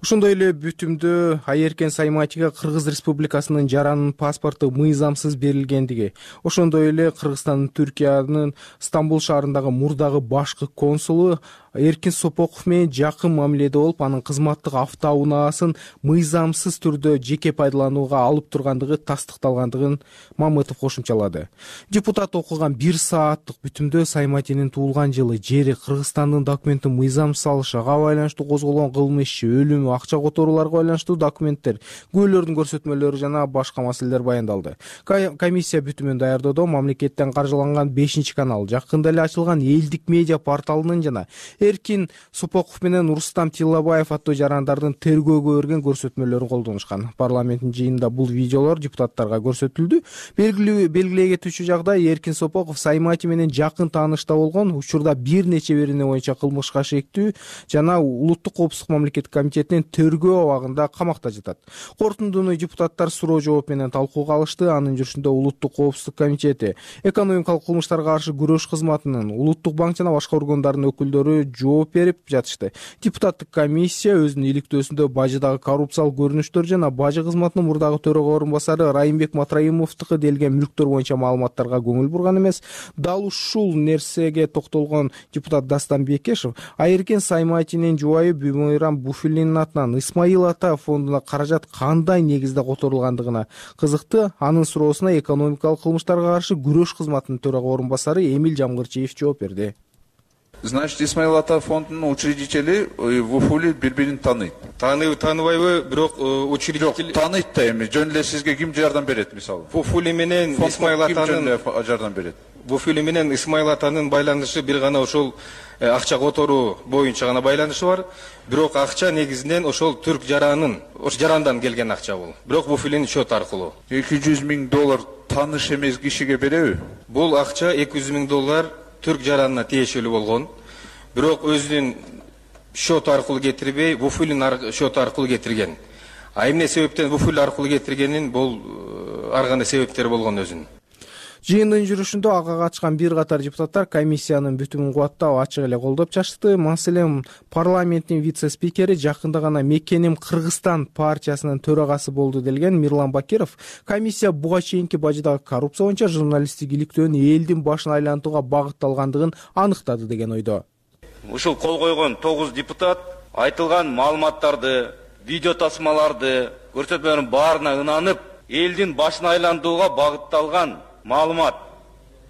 Speaker 8: Ошондой эле бүтүмдө Айеркен Сайматиге Кыргыз Республикасынын жаранын паспорту мыйзамсыз берилгендиги, ошондой эле Кыргызстандын Түркиянын Стамбул шаарындагы мурдагы башкы консулу Эркин Сопоков менен жакын мамиледе болуп, анын кызматтык автоунаасын мыйзамсыз түрдө жеке пайдаланууга алып тургандыгы тастыкталгандыгын Мамытов кошумчалады. Депутат окуган 1 сааттык бүтүмдө Сайматинин туулган жылы, жери, Кыргызстандын документин мыйзамсыз алышыга байланыштуу козголгон кылмыш иши, өлүмү, акча которууларга байланыштуу документтер, күбөлөрдүн көрсөтмөлөрү жана башка маселелер баяндалды. Комиссия бүтүмүн даярдоодо мамлекеттен каржыланган 5-канал, жакында эле ачылган Элдик медиа порталынын жана Эркин Сопоков менен Рустам Тиллабаев аттуу жарандардын тергөөгө берген көрсөтмөлөрүн колдонушкан. Парламенттин жыйынында бул видеолор депутаттарга көрсөтүлдү. Белгилей кетүүчү жагдай, Эркин Сопоков Саймати менен жакын таанышта болгон, учурда бир нече берене боюнча кылмышка шектүү жана Улуттук коопсуздук мамлекеттик комитетинин тергөө абагында камакта жатат. Корутундуну депутаттар суроо жооп менен талкууга алышты. Анын жүрүшүндө Улуттук коопсуздук комитети, экономикалык кылмыштарга каршы күрөш кызматынын, Улуттук банк жана башка органдардын өкүлдөрү жооп берип жатышты. Депутаттык комиссия өзүнүн иликтөөсүндө бажыдагы коррупциялык көрүнүштөр жана бажы кызматынын мурдагы төрага орун басары Райымбек Матраимовдуку делген мүлктөр боюнча маалыматтарга көңүл бурган эмес. Дал ушул нерсеге токтолгон депутат Дастан Бекешев Айеркен Сайматинин жубайы Бүймөйрам Буфуллинин атынан Исмаил Ата фондуна каражат кандай негизде которулгандыгына кызыкты. Анын суроосуна экономикалык кылмыштарга каршы күрөш кызматынын төрага орун басары Эмил Жамгырчиев жооп берди.
Speaker 10: Значит, Исмаил Ата фондунун учредители Вуфули бири-бирин тааныйт. Тааныбайбы, бирок учредитель тааныйт да эми. Жөн эле сизге ким жардам берет мисалы? Вуфули менен Исмаил Атанын жардам берет. Вуфули менен Исмаил Атанын байланышы бир гана ошол акча которуу боюнча гана байланышы бар. Бирок акча негизинен ошол түрк жаранын, ош жарандан келген акча бул. Бирок Вуфулинин счет аркылуу. 200 миң доллар тааныш эмес кишиге береби? Бул акча 200 миң доллар түрк жаранына тиешелүү болгон. Бирок өзүнүн счет аркылуу кетирбей, Вуфулин счет аркылуу кетирген. А эмне себептен Вуфулин аркылуу кетиргенин бул ар кандай себептери болгон өзүнүн.
Speaker 8: Жыйындын жүрүшүндө ага катышкан бир катар депутаттар комиссиянын бүтүмүн кубаттап ачык эле колдоп чачты. Маселен, парламенттин вице-спикери жакында гана Мекеним Кыргызстан партиясынын төрагасы болду делген Мирлан Бакиров комиссия буга чейинки бажыдагы коррупция боюнча журналисттик иликтөөнүн элдин башын айлантууга багытталгандыгын аныктады деген ойдо.
Speaker 11: Ушул кол койгон 9 депутат айтылган маалыматтарды, видео тасмаларды, көрсөтмөлөрдүн баарына ынанып, элдин башын айлантууга багытталган маалымат,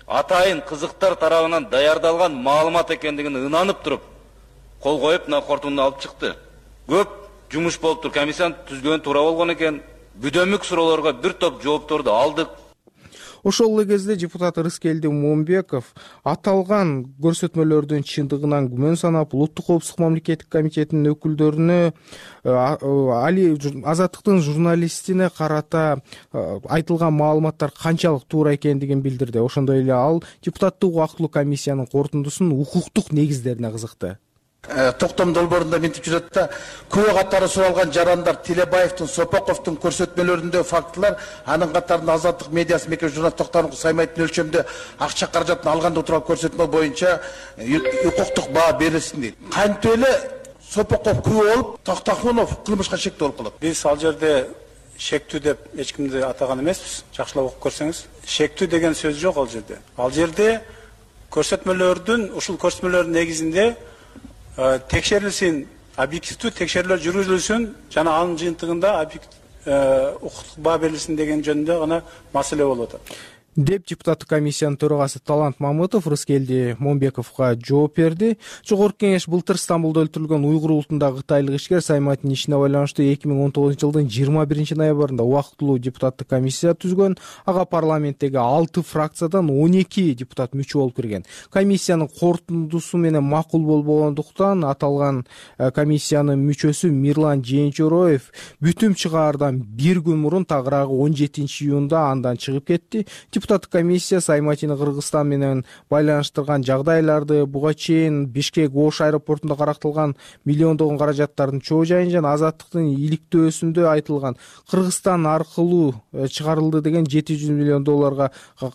Speaker 11: атайын кызыктар тарабынан даярдалган маалымат экендигин ынанып туруп, кол коюп, мына кортунду алып чыкты. Көп жумуш болуптур, комиссияны түзгөн туура болгон экен. Бүдөмүк суроолорго бир топ жоопторду алдык.
Speaker 8: Ошол эле кезде депутат Рыскелди Момбеков аталган көрсөтмөлөрдүн чындыгынан күмөн санап, Улуттук коопсуздук мамлекеттик комитетинин өкүлдөрүнө Азаттыктын журналистине карата айтылган маалыматтар канчалык туура экендигин билдирди. Ошондой эле ал депутаттык убактылуу комиссиянын корутундусунун укуктук негиздерине кызыкты.
Speaker 1: Токтом долбоорунда мынтип жүрөт да, күбө катары суралган жарандар Тилебаевдин, Сопоковдун көрсөтмөлөрүндө фактылар, анын катарында Азаттык медиасы мекеме журналист Токтомдун Саймайтын өлчөмдө акча каражатын алганда турган көрсөтмө боюнча укуктук баа берилсин дейт. Кантип эле Сопоков күбө болуп, Токтохунов кылмышка шектүү болуп калат.
Speaker 9: Биз ал жерде шектүү деп эч кимди атаган эмеспиз. Жакшылап окуп көрсөңүз, шектүү деген сөз жок ал жерде. Ал жерде көрсөтмөлөрдүн, ушул көрсөтмөлөрдүн негизинде текшерилсин, объективдүү текшерүүлөр жүргүзүлсүн жана анын жыйынтыгында укуктук баа берилсин деген жөнүндө гана маселе болуп атат.
Speaker 8: деп депутаттык комиссиянын төрагасы Талант Мамытов Рыскелди Момбековго жооп берди. Жогорку кеңеш былтыр Стамбулда өлтүрүлгөн уйгур улутундагы кытайлык ишкер Саймайтын ишине байланыштуу 2019 жылдын 21 ноябрында убактылуу депутаттык комиссия түзгөн. Ага парламенттеги 6 фракциядан 12 депутат мүчө болуп кирген. Комиссиянын корутундусу менен макул болбогондуктан аталган комиссиянын мүчөсү Мирлан Жээнчороев бүтүм чыгаардан бир күн мурун тагыраагы 17-июнда андан чыгып кетти. Депутаттык комиссия Сайматины Кыргызстан менен байланыштырган жагдайларды, буга чейин Бишкек Ош аэропортунда карактылган миллиондогон каражаттардын чоо жайын жана азаттыктын иликтөөсүндө айтылган Кыргызстан аркылуу чыгарылды деген $700 миллион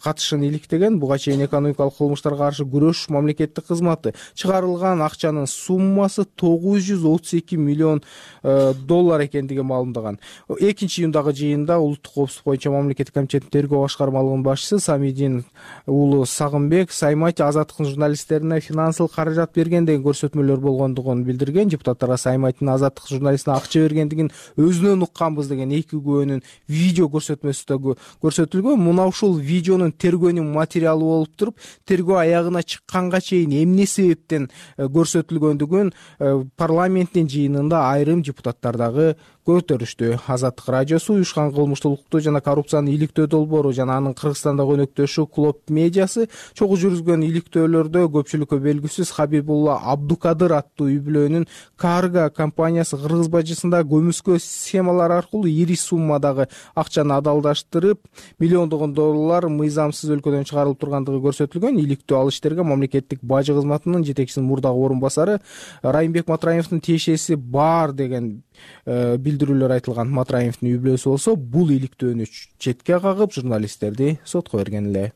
Speaker 8: катышын иликтеген. Буга чейин экономикалык кылмыштарга каршы күрөш мамлекеттик кызматы чыгарылган акчанын суммасы $932 миллион экендиги маалымдаган. 2-июндагы жыйында улуттук коопсуздук боюнча мамлекеттик комитеттин тергөө башкармалыгынын башчысы Самидин уулу Сагынбек Саймати азаттыктын журналисттерине финансылык каражат берген деген көрсөтмөлөр болгондугун билдирген. Депутаттарга Сайматинин азаттык журналистине акча бергендигин өзүнөн укканбыз деген 2 күбөнүн видео көрсөтмөсү да көрсөтүлгөн. Мына ушул видеонун тергөөнүн материалы болуп туруп, тергөө аягына чыкканга чейин эмне себептен көрсөтүлгөндүгүн парламенттин жыйынында айрым депутаттар дагы көтөрүштү. Азаттык радиосу уюшкан кылмыштуулукту жана коррупцияны иликтөө долбоору жана анын Кыргызстандагы өнөктөшү Клоп медиасы чогуу жүргүзгөн иликтөөлөрдө көпчүлүккө белгисиз Хабибулла Абдукадыр аттуу үй-бүлөнүн Карга компаниясы кыргыз бажысында көмүскө схемалар аркылуу ири суммадагы акчаны адалдаштырып, миллиондогон доллар мыйзамсыз өлкөдөн чыгарылып тургандыгы көрсөтүлгөн. Иликтөө ал иштерге мамлекеттик бажы кызматынын жетекчисинин мурдагы орун басары Райымбек Матраимовдун тиешеси бар деген билдирүүлөр айтылган. Матраимовдун үй-бүлөсү болсо бул иликтөөнү четке кагып, журналисттерди сотко берген эле.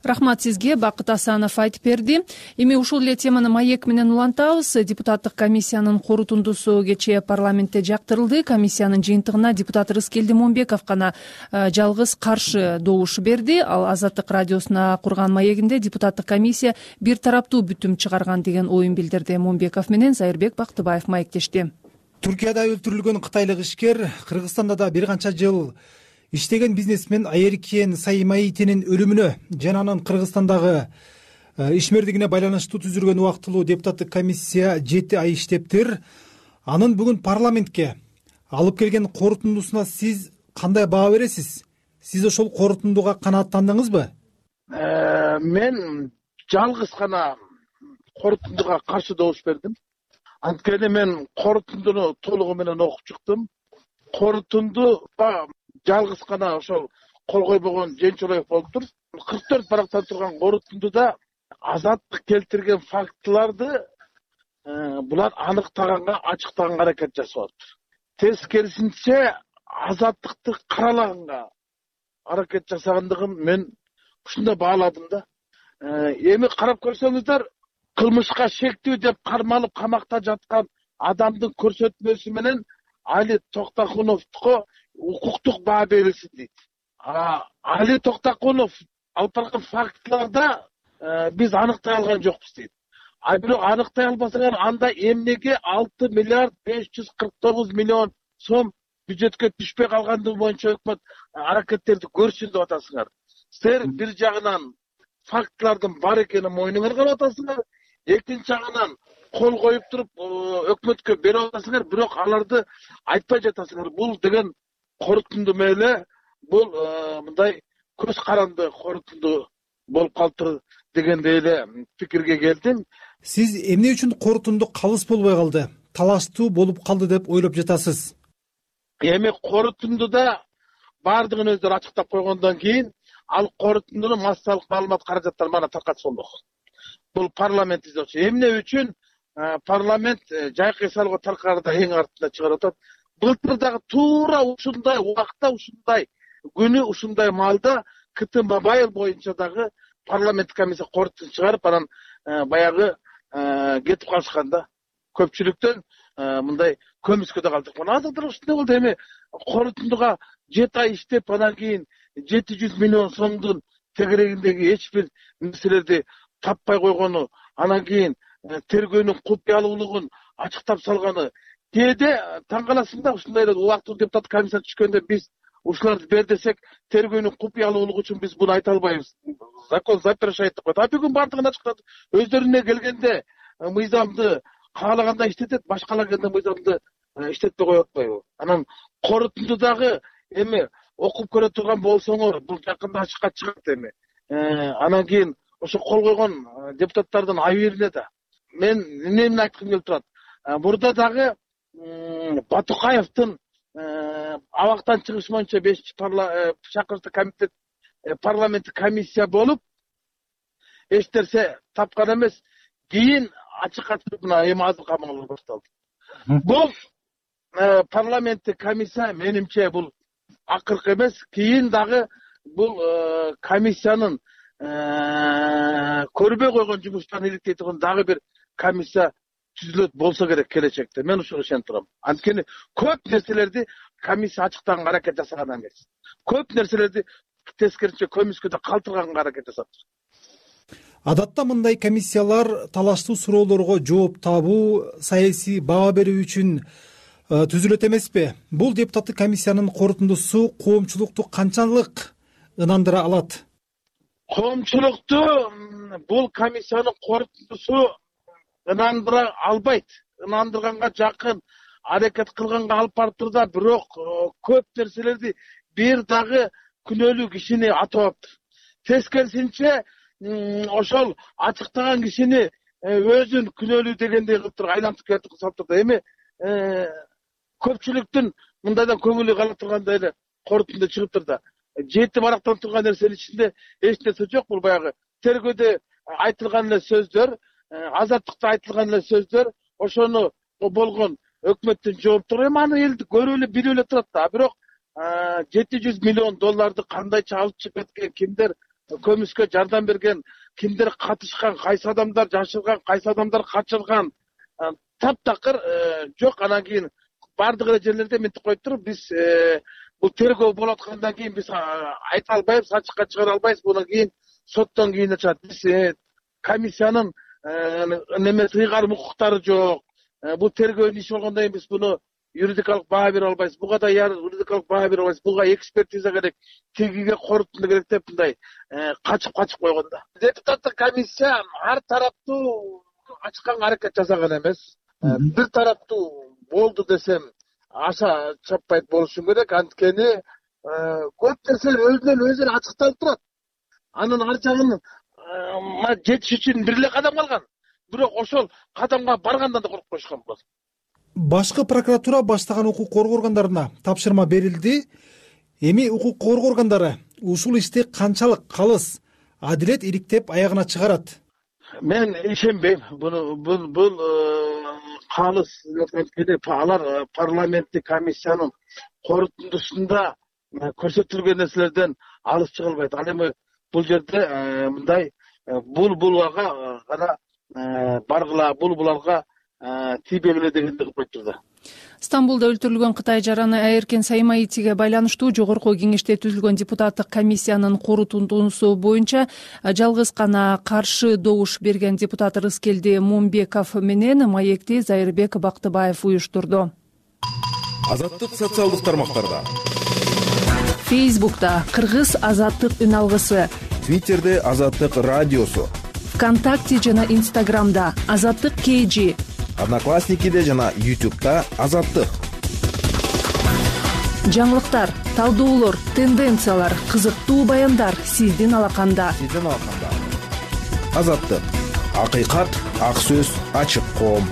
Speaker 2: Рахмат сизге, Бакыт Асанов айтып берди. Эми ушул эле теманы маек менен улантабыз. Депутаттык комиссиянын корутундусу кечээ парламентте жактырылды. Комиссиянын жыйынтыгына депутат Рыскелди Момбеков гана жалгыз каршы добуш берди. Ал Азаттык радиосуна курган маегинде депутаттык комиссия бир тараптуу бүтүм чыгарган деген оюн билдирди. Момбеков менен Зайырбек Бактыбаев маектешти.
Speaker 4: Туркияда өлтүрүлгөн кытайлык ишкер, Кыргызстанда да бир канча жыл иштеген бизнесмен Айеркен Саймайтинин өлүмүнө жана анын Кыргызстандагы ишмердигине байланыштуу түзүлгөн убактылуу депутаттык комиссия 7 ай иштептир. Анын бүгүн парламентке алып келген корутундусуна сиз кандай баа бересиз? Сиз ошол корутундуга канааттандыңызбы?
Speaker 1: Мен жалгыз гана корутундуга каршы добуш бердим. Анткени мен корутундуну толугу менен окуп чыктым. Корутундуга жалгыз гана ошол кол койбогон Жээнчороев болуптур. 44 барактан турган корутундуда азаттык келтирген фактыларды булар аныктаганга, ачыктаганга аракет жасап атыптыр. Тескерисинче азаттыкты каралаганга аракет жасагандыгын мен ушундай бааладым да. Эми карап көрсөңүздөр, кылмышка шектүү деп кармалып камакта жаткан адамдын көрсөтмөсү менен Али Токтакуновго укуктук баа берилсин дейт. Али Токтакунов алып барган фактыларда биз аныктай алган жокпуз дейт. Бирок аныктай албасаңар анда эмнеге 6 миллиард 549 миллион сом бюджетке түшпөй калгандыгы боюнча өкмөт аракеттерди көрсүн деп атасыңар. Силер бир жагынан фактылардын бар экенин мойнуңарга алып атасыңар, экинчи жагынан кол коюп туруп өкмөткө берип атасыңар, бирок аларды айтпай жатасыңар. Бул деген корутунду меле, бул мындай көз каранды корутунду болуп калыптыр дегендей эле пикирге келдим.
Speaker 4: Сиз эмне үчүн корутунду калыс болбой калды, талаштуу болуп калды деп ойлоп жатасыз?
Speaker 1: Эми корутундуда бардыгын өздөрү ачыктап койгондон кийин ал корутундунун массалык маалымат каражаттары мана таркатылмок. Бул парламент издөөчү. Эмне үчүн парламент жайкы салгы таркаарда эң артында чыгарып атат. Былтыр дагы туура ушундай убакта, ушундай күнү, ушундай маалда Кытым Бабаев боюнча дагы парламент комиссия корутун чыгарып, анан баягы кетип калышканда көпчүлүктөн мындай көмүскөдө калдык. Азыр дагы ушундай болду. Эми корутундуга 7 ай иштеп, анан кийин 700 миллион сомдун тегерегиндеги эч бир нерселерди таппай койгону, анан кийин тергөөнүн купуялуулугун ачыктап салганы. Кээде таң каласың да, ушундай эле убактылуу депутат комиссия түшкөндө биз ушуларды бер десек тергөөнүн купуялуулугу үчүн биз буну айта албайбыз. Закон запрещает деп коет. А бүгүн баардыгын ачыктады. Өздөрүнө келгенде мыйзамды каалагандай иштетет, башкалар келгенде мыйзамды иштетпей коюп атпайбы? Анан корутундудагы эми окуп көрө турган болсоңор, бул жакында ачыкка чыгат эми. Анан кийин ошо кол койгон депутаттардын айыбына да мен эмнени айткым келип турат. Мурда дагы Батукаевдин абактан чыгыш боюнча 5-чакырыктуу комитет парламенттик комиссия болуп эч нерсе тапкан эмес. Кийин ачыкка чыгып мына эми азыр камалуу башталды. Бул парламенттик комиссия менимче бул акыркы эмес. Кийин дагы бул комиссиянын көрбөй койгон жумуштарын иликтей турган дагы бир комиссия түзүлөт болсо керек келечекте. Мен ушуга ишенип турам. Анткени көп нерселерди комиссия ачыктаганга аракет жасаган эмес. Көп нерселерди тескерисинче көмүскөдө калтырганга аракет жасап.
Speaker 4: Адатта мындай комиссиялар талаштуу суроолорго жооп табуу, саясий баа берүү үчүн түзүлөт эмеспи? Бул депутаттык комиссиянын корутундусу коомчулукту канчалык ынандыра алат?
Speaker 1: Коомчулукту бул комиссиянын корутундусу ынандыра албайт. Ынандырганга жакын аракет кылганга алып барып турда, бирок көп нерселерди бир дагы күнөөлүү кишини атабаптыр. Тескерисинче ошол ачыктаган кишини өзүн күнөөлүү дегендей кылып туруп айлантып кетип салып турду. Эми көпчүлүктүн мындайдан көңүлү кала тургандай эле корутунда чыгыптыр да. Жети барактан турган нерсенин ичинде эч нерсе жок. Бул баягы тергөөдө айтылган эле сөздөр, азаттыкта айтылган эле сөздөр, ошону болгон өкмөттүн жооптуру. Эми аны элди көрүп эле билип эле турат да. Бирок 700 миллион долларды кандайча алып чыгып кеткен, кимдер көмүскө жардам берген, кимдер катышкан, кайсы адамдар жашырган, кайсы адамдар качырган, таптакыр жок. Анан кийин бардык эле жерлерде мынтип коюп туруп, биз бул тергөө болуп аткандан кийин биз айта албайбыз, ачыкка чыгара албайбыз. Буну кийин соттон кийин чыгат. Биз комиссиянын немеси ыйгарым укуктары жок. Бул тергөөнүн иши болгондон кийин биз буну юридикалык баа бере албайбыз. Буга да юридикалык баа бере албайбыз. Буга экспертиза керек, тегиге корутунду керек деп мындай качып койгон да. Депутаттык комиссия ар тараптуу ачканга аракет жасаган эмес. Бир тараптуу болду десем аша чаппайт болушу керек. Анткени көп нерселер өзүнөн өзү ачыкталып турат. Анын ар жагын жетиш үчүн бир эле кадам калган. Бирок ошол кадамга баргандан да коркуп коюшкан болот.
Speaker 4: Башкы прокуратура баштаган укук коргоо органдарына тапшырма берилди. Эми укук коргоо органдары ушул ишти канчалык калыс адилет иликтеп аягына чыгарат?
Speaker 1: Мен ишенбейм. Бул калыс алар парламенттик комиссиянын корутундусунда көрсөтүлгөн нерселерден алыс чыга албайт. Ал эми бул жерде мындай булага гана баргыла, буларга тийбегиле дегенди кылып коюптур да.
Speaker 2: Стамбулда өлтүрүлгөн Кытай жараны Айеркен Саймаитиге байланыштуу жогорку кеңеште түзүлгөн депутаттык комиссиянын корутундусу боюнча жалгыз гана каршы добуш берген депутат Рыскелди Мумбеков менен маекти Зайырбек Бактыбаев уюштурду.
Speaker 13: Азаттык социалдык тармактарда.
Speaker 2: Фейсбукта Кыргыз азаттык үн алгысы,
Speaker 13: Твиттерде Азаттык радиосу,
Speaker 2: ВКонтакте жана Инстаграмда Азаттык KG,
Speaker 13: Одноклассникиде жана YouTube'да Азаттык.
Speaker 2: Жаңылыктар, талдоолор, тенденциялар, кызыктуу баяндар сиздин алаканда.
Speaker 13: Азаттык. Акыйкат, ак сөз, ачык коом.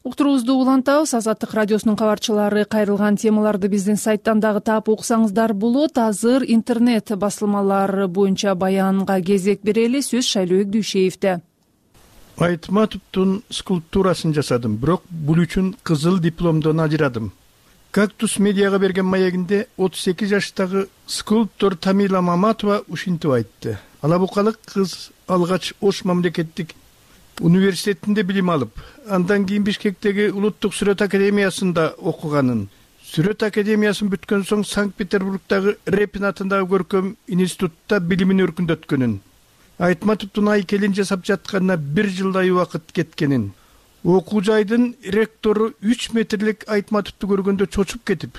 Speaker 2: Уктуруубузду улантабыз. Азаттык радиосунун кабарчылары кайрылган темаларды биздин сайттан дагы таап окусаңыздар болот. Азыр интернет басылмалар боюнча баянга кезек берели. Сөз Шайлообек Дүйшеевде.
Speaker 14: Айтматовдун скульптурасын жасадым, бирок бул үчүн кызыл дипломдон ажырадым. Кактус медиага берген маегинде 38 жаштагы скульптор Тамила Маматова ушинтип айтты. Алабукалык кыз алгач Ош мамлекеттик университетинде билим алып, андан кийин Бишкектеги Улуттук сүрөт академиясында окуганын. Сүрөт академиясын бүткөн соң Санкт-Петербургдагы Репин атындагы көркөм институтта билимин өркүндөткөнүн. Айтматовдун айкелин жасап жатканына 1 жылдай убакыт кеткенин. Окуу жайдын ректору 3 метрлик Айтматовду көргөндө чочуп кетип,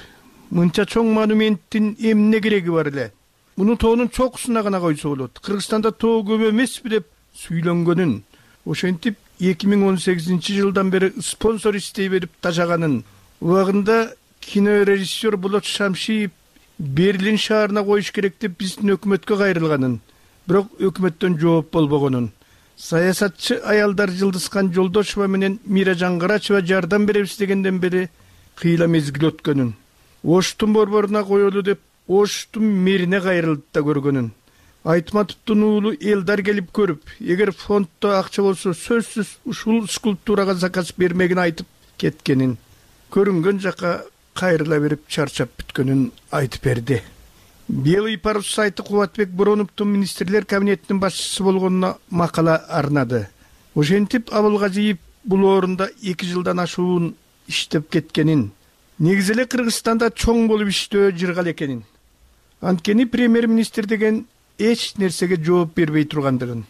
Speaker 14: мынча чоң монументтин эмне кереги бар эле? Муну тоонун чокусуна гана койсо болот. Кыргызстанда тоо көп эмеспи деп сүйлөнгөнүн, ошентип 2018-жылдан бери спонсор издей берип тажаганын, убагында кинорежиссер Болот Шамшиев Берлин шаарына коюш керек деп биздин өкмөткө кайрылганын, бирок өкмөттөн жооп болбогонун, саясатчы аялдар Жылдызкан Жолдошева менен Миражан Карачева жардам беребиз дегенден бери кыйла мезгил өткөнүн, Оштун борборуна коелу деп Оштун мэрине кайрылды да көргөнүн, Айтматовдун уулу Элдар келип көрүп, эгер фонддо акча болсо сөзсүз ушул скульптурага заказ бермегин айтып кеткенин, көрүнгөн жака кайрыла берип чарчап бүткөнүн айтып берди. Белый парус сайты Кубатбек Бороновдун министрлер кабинетинин башчысы болгонуна макала арнады. Ошентип Абылгазиев бул орунда 2 жылдан ашуун иштеп кеткенин, негизи эле Кыргызстанда чоң болуп иштөө жыргал экенин, анткени премьер-министр деген эч нерсеге жооп бербей тургандыгын,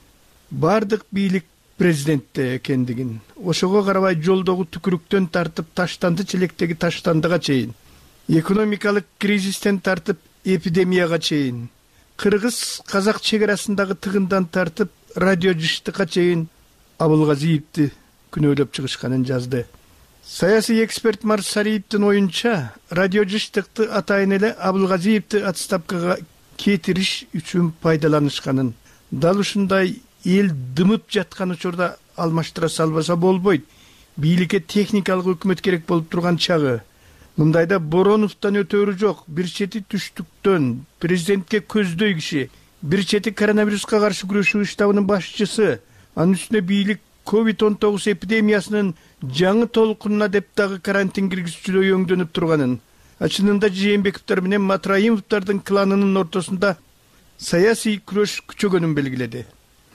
Speaker 14: бардык бийлик президентте экендигин, ошого карабай жолдогу түкүрүктөн тартып таштанды челектеги таштандыга чейин, экономикалык кризистен тартып эпидемияга чейин, кыргыз-казак чегарасындагы тыгындан тартып радио жыштыкка чейин Абылгазиевди күнөөлөп чыгышканын жазды. Саясий эксперт Марс Сариевдин оюнча, радио жыштыкты атайын эле Абылгазиевди отставкага кетириш үчүн пайдаланышканын, дал ушундай эл дымып жаткан учурда алмаштыра салбаса болбойт. Бийликке техникалык өкмөт керек болуп турган чагы. Мындайда Бороновдон өтөрү жок. Бир чети түштүктөн президентке көздөй киши, бир чети коронавируска каршы күрөшүү штабынын башчысы, анын үстүнө бийлик COVID-19 эпидемиясынын жаңы толкунуна деп дагы карантин киргизүүчүдөй өңдөнүп турганын, чынында Жээнбековдор менен Матраимовдордун кланынын ортосунда саясий күрөш күчөгөнүн белгиледи.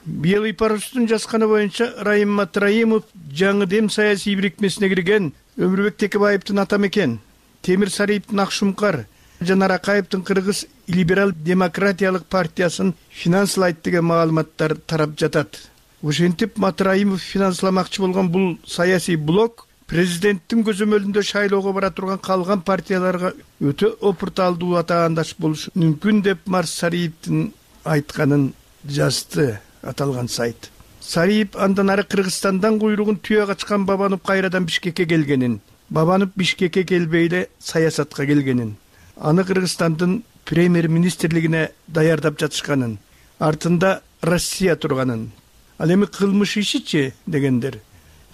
Speaker 14: Белый парустун жазганы боюнча Райым Матраимов жаңы дем саясий бирикмесине кирген, Өмүрбек Текебаевдин атамекен, Темир Сариевдин Акшумкар, Жанар Акаевдин Кыргыз либерал демократиялык партиясын финанслайт деген маалыматтар тарап жатат. Ошентип Матраимов финансламакчы болгон бул саясий блок президенттин көзөмөлүндө шайлоого бара турган калган партияларга өтө опурталдуу атаандаш болушу мүмкүн деп Марс Сариевдин айтканын жазды аталган сайт. Сариев андан ары Кыргызстандан куйругун түйө качкан Бабанов кайрадан Бишкекке келгенин, Бабанов Бишкекке келбей эле саясатка келгенин, аны Кыргызстандын премьер-министрлигине даярдап жатышканын, артында Россия турганын. Ал эми кылмыш ишичи дегендер.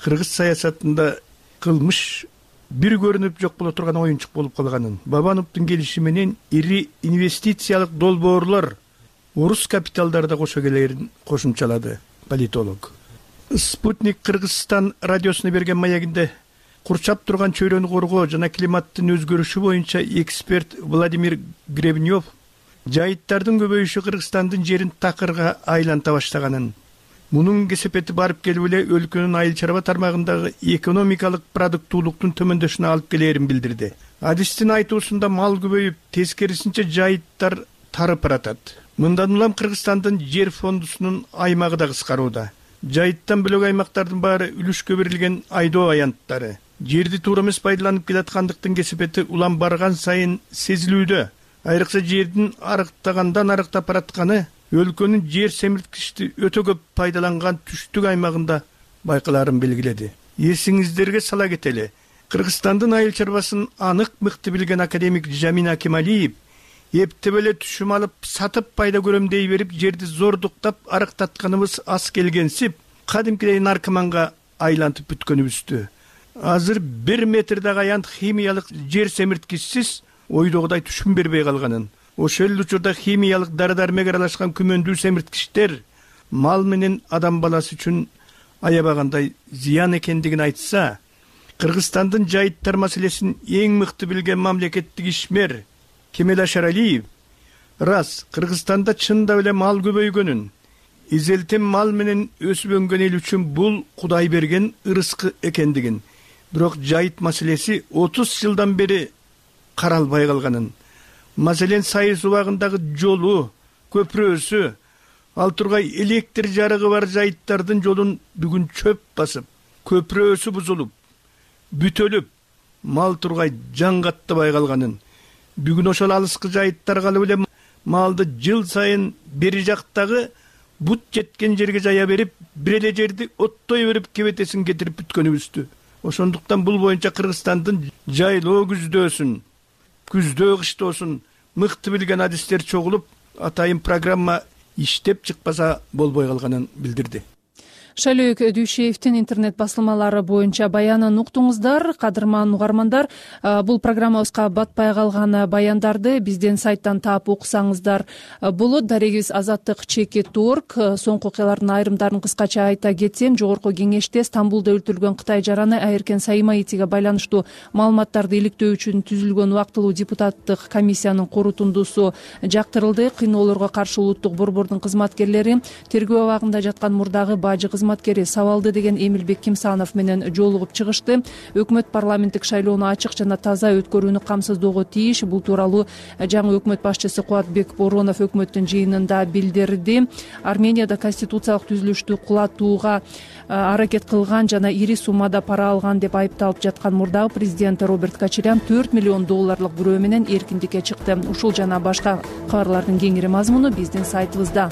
Speaker 14: Кыргыз саясатында кылмыш бир көрүнүп жок боло турган оюнчук болуп калганын, Бабановдун келиши менен ири инвестициялык долбоорлор орус капиталдарда кошо келерин кошумчалады политолог. Спутник Кыргызстан радиосуна берген маегинде курчап турган чөйрөнү коргоо жана климаттын өзгөрүшү боюнча эксперт Владимир Гребнев жайыттардын көбөйүшү Кыргызстандын жерин такырга айланта баштаганын, мунун кесепети барып келип эле өлкөнүн айыл чарба тармагындагы экономикалык продуктуулуктун төмөндөшүнө алып келерин билдирди. Адистин айтуусунда мал көбөйүп, тескерисинче жайыттар тарып баратат. Мындан улам Кыргызстандын жер фондусунун аймагы да кыскарууда. Жайыттан бөлөк аймактардын баары үлүшкө берилген айдоо аянттары. Жерди туура эмес пайдаланып келаткандыктын кесепети улам барган сайын сезилүүдө. Айрыкча жердин арыктагандан арыктап баратканы өлкөнүн жер семирткичти өтө көп пайдаланган түштүк аймагында байкаларын белгиледи. Эсиңиздерге сала кетели. Кыргызстандын айыл чарбасын анык мыкты билген академик Жамин Акималиев эптеп эле түшүм алып, сатып пайда көрөм дей берип, жерди зордуктап арыктатканыбыз аз келгенсип, кадимкидей наркоманга айлантып бүткөнүбүздү. Азыр 1 метрдеги аянт химиялык жер семирткичсиз ойдогудай түшүм бербей калганын, ошол учурда химиялык дары-дармек аралашкан күмөндүү семирткичтер мал менен адам баласы үчүн аябагандай зыян экендигин айтса, Кыргызстандын жайыттар маселесин эң мыкты билген мамлекеттик ишмер Кемел Ашаралиев рас Кыргызстанда чындап эле мал көбөйгөнүн, изелтем мал менен өсүп өнгөн эл үчүн бул Кудай берген ырыскы экендигин, бирок жайыт маселеси 30 жылдан бери каралбай калганын, маселен сайыс убагындагы жолу, көпүрөсү, ал тургай электр жарыгы бар жайыттардын жолун бүгүн чөп басып, көпүрөсү бузулуп, бүтөлүп, мал тургай жан каттабай калганын, бүгүн ошол алыскы жайыттарга алып эле малды жыл сайын бери жактагы бут жеткен жерге жая берип, бир эле жерди оттой берип кебетесин кетирип бүткөнүбүздү. Ошондуктан бул боюнча Кыргызстандын жайлоо күздөөсүн, күздөө кыштоосун мыкты билген адистер чогулуп, атайын программа иштеп чыкпаса болбой калганын билдирди.
Speaker 2: Шайлөөк Дүйшеевдин интернет басылмалары боюнча баянын уктуңуздар. Кадырман угармандар, бул программабызга батпай калган баяндарды биздин сайттан таап окусаңыздар болот. Дарегибиз azattik.org. Соңку окуялардын айрымдарын кыскача айта кетсем, жогорку кеңеште Стамбулда өлтүрүлгөн Кытай жараны Айеркен Саимаитиге байланыштуу маалыматтарды иликтөө үчүн түзүлгөн убактылуу депутаттык комиссиянын корутундусу жактырылды. Кыйноолорго каршы улуттук борбордун кызматкерлери тергөө абагында жаткан мурдагы бажы кызматкери Сабалды деген Эмилбек Кимсанов менен жолугуп чыгышты. Өкмөт парламенттик шайлоону ачык жана таза өткөрүүнү камсыздоого тийиш. Бул тууралуу жаңы өкмөт башчысы Кубатбек Боронов өкмөттүн жыйынында билдирди. Арменияда конституциялык түзүлүштү кулатууга аракет кылган жана ири суммада пара алган деп айыпталып жаткан мурдагы президент Роберт Качарян $4 миллион бүрөө менен эркиндикке чыкты. Ушул жана башка кабарлардын кеңири мазмуну биздин сайтыбызда.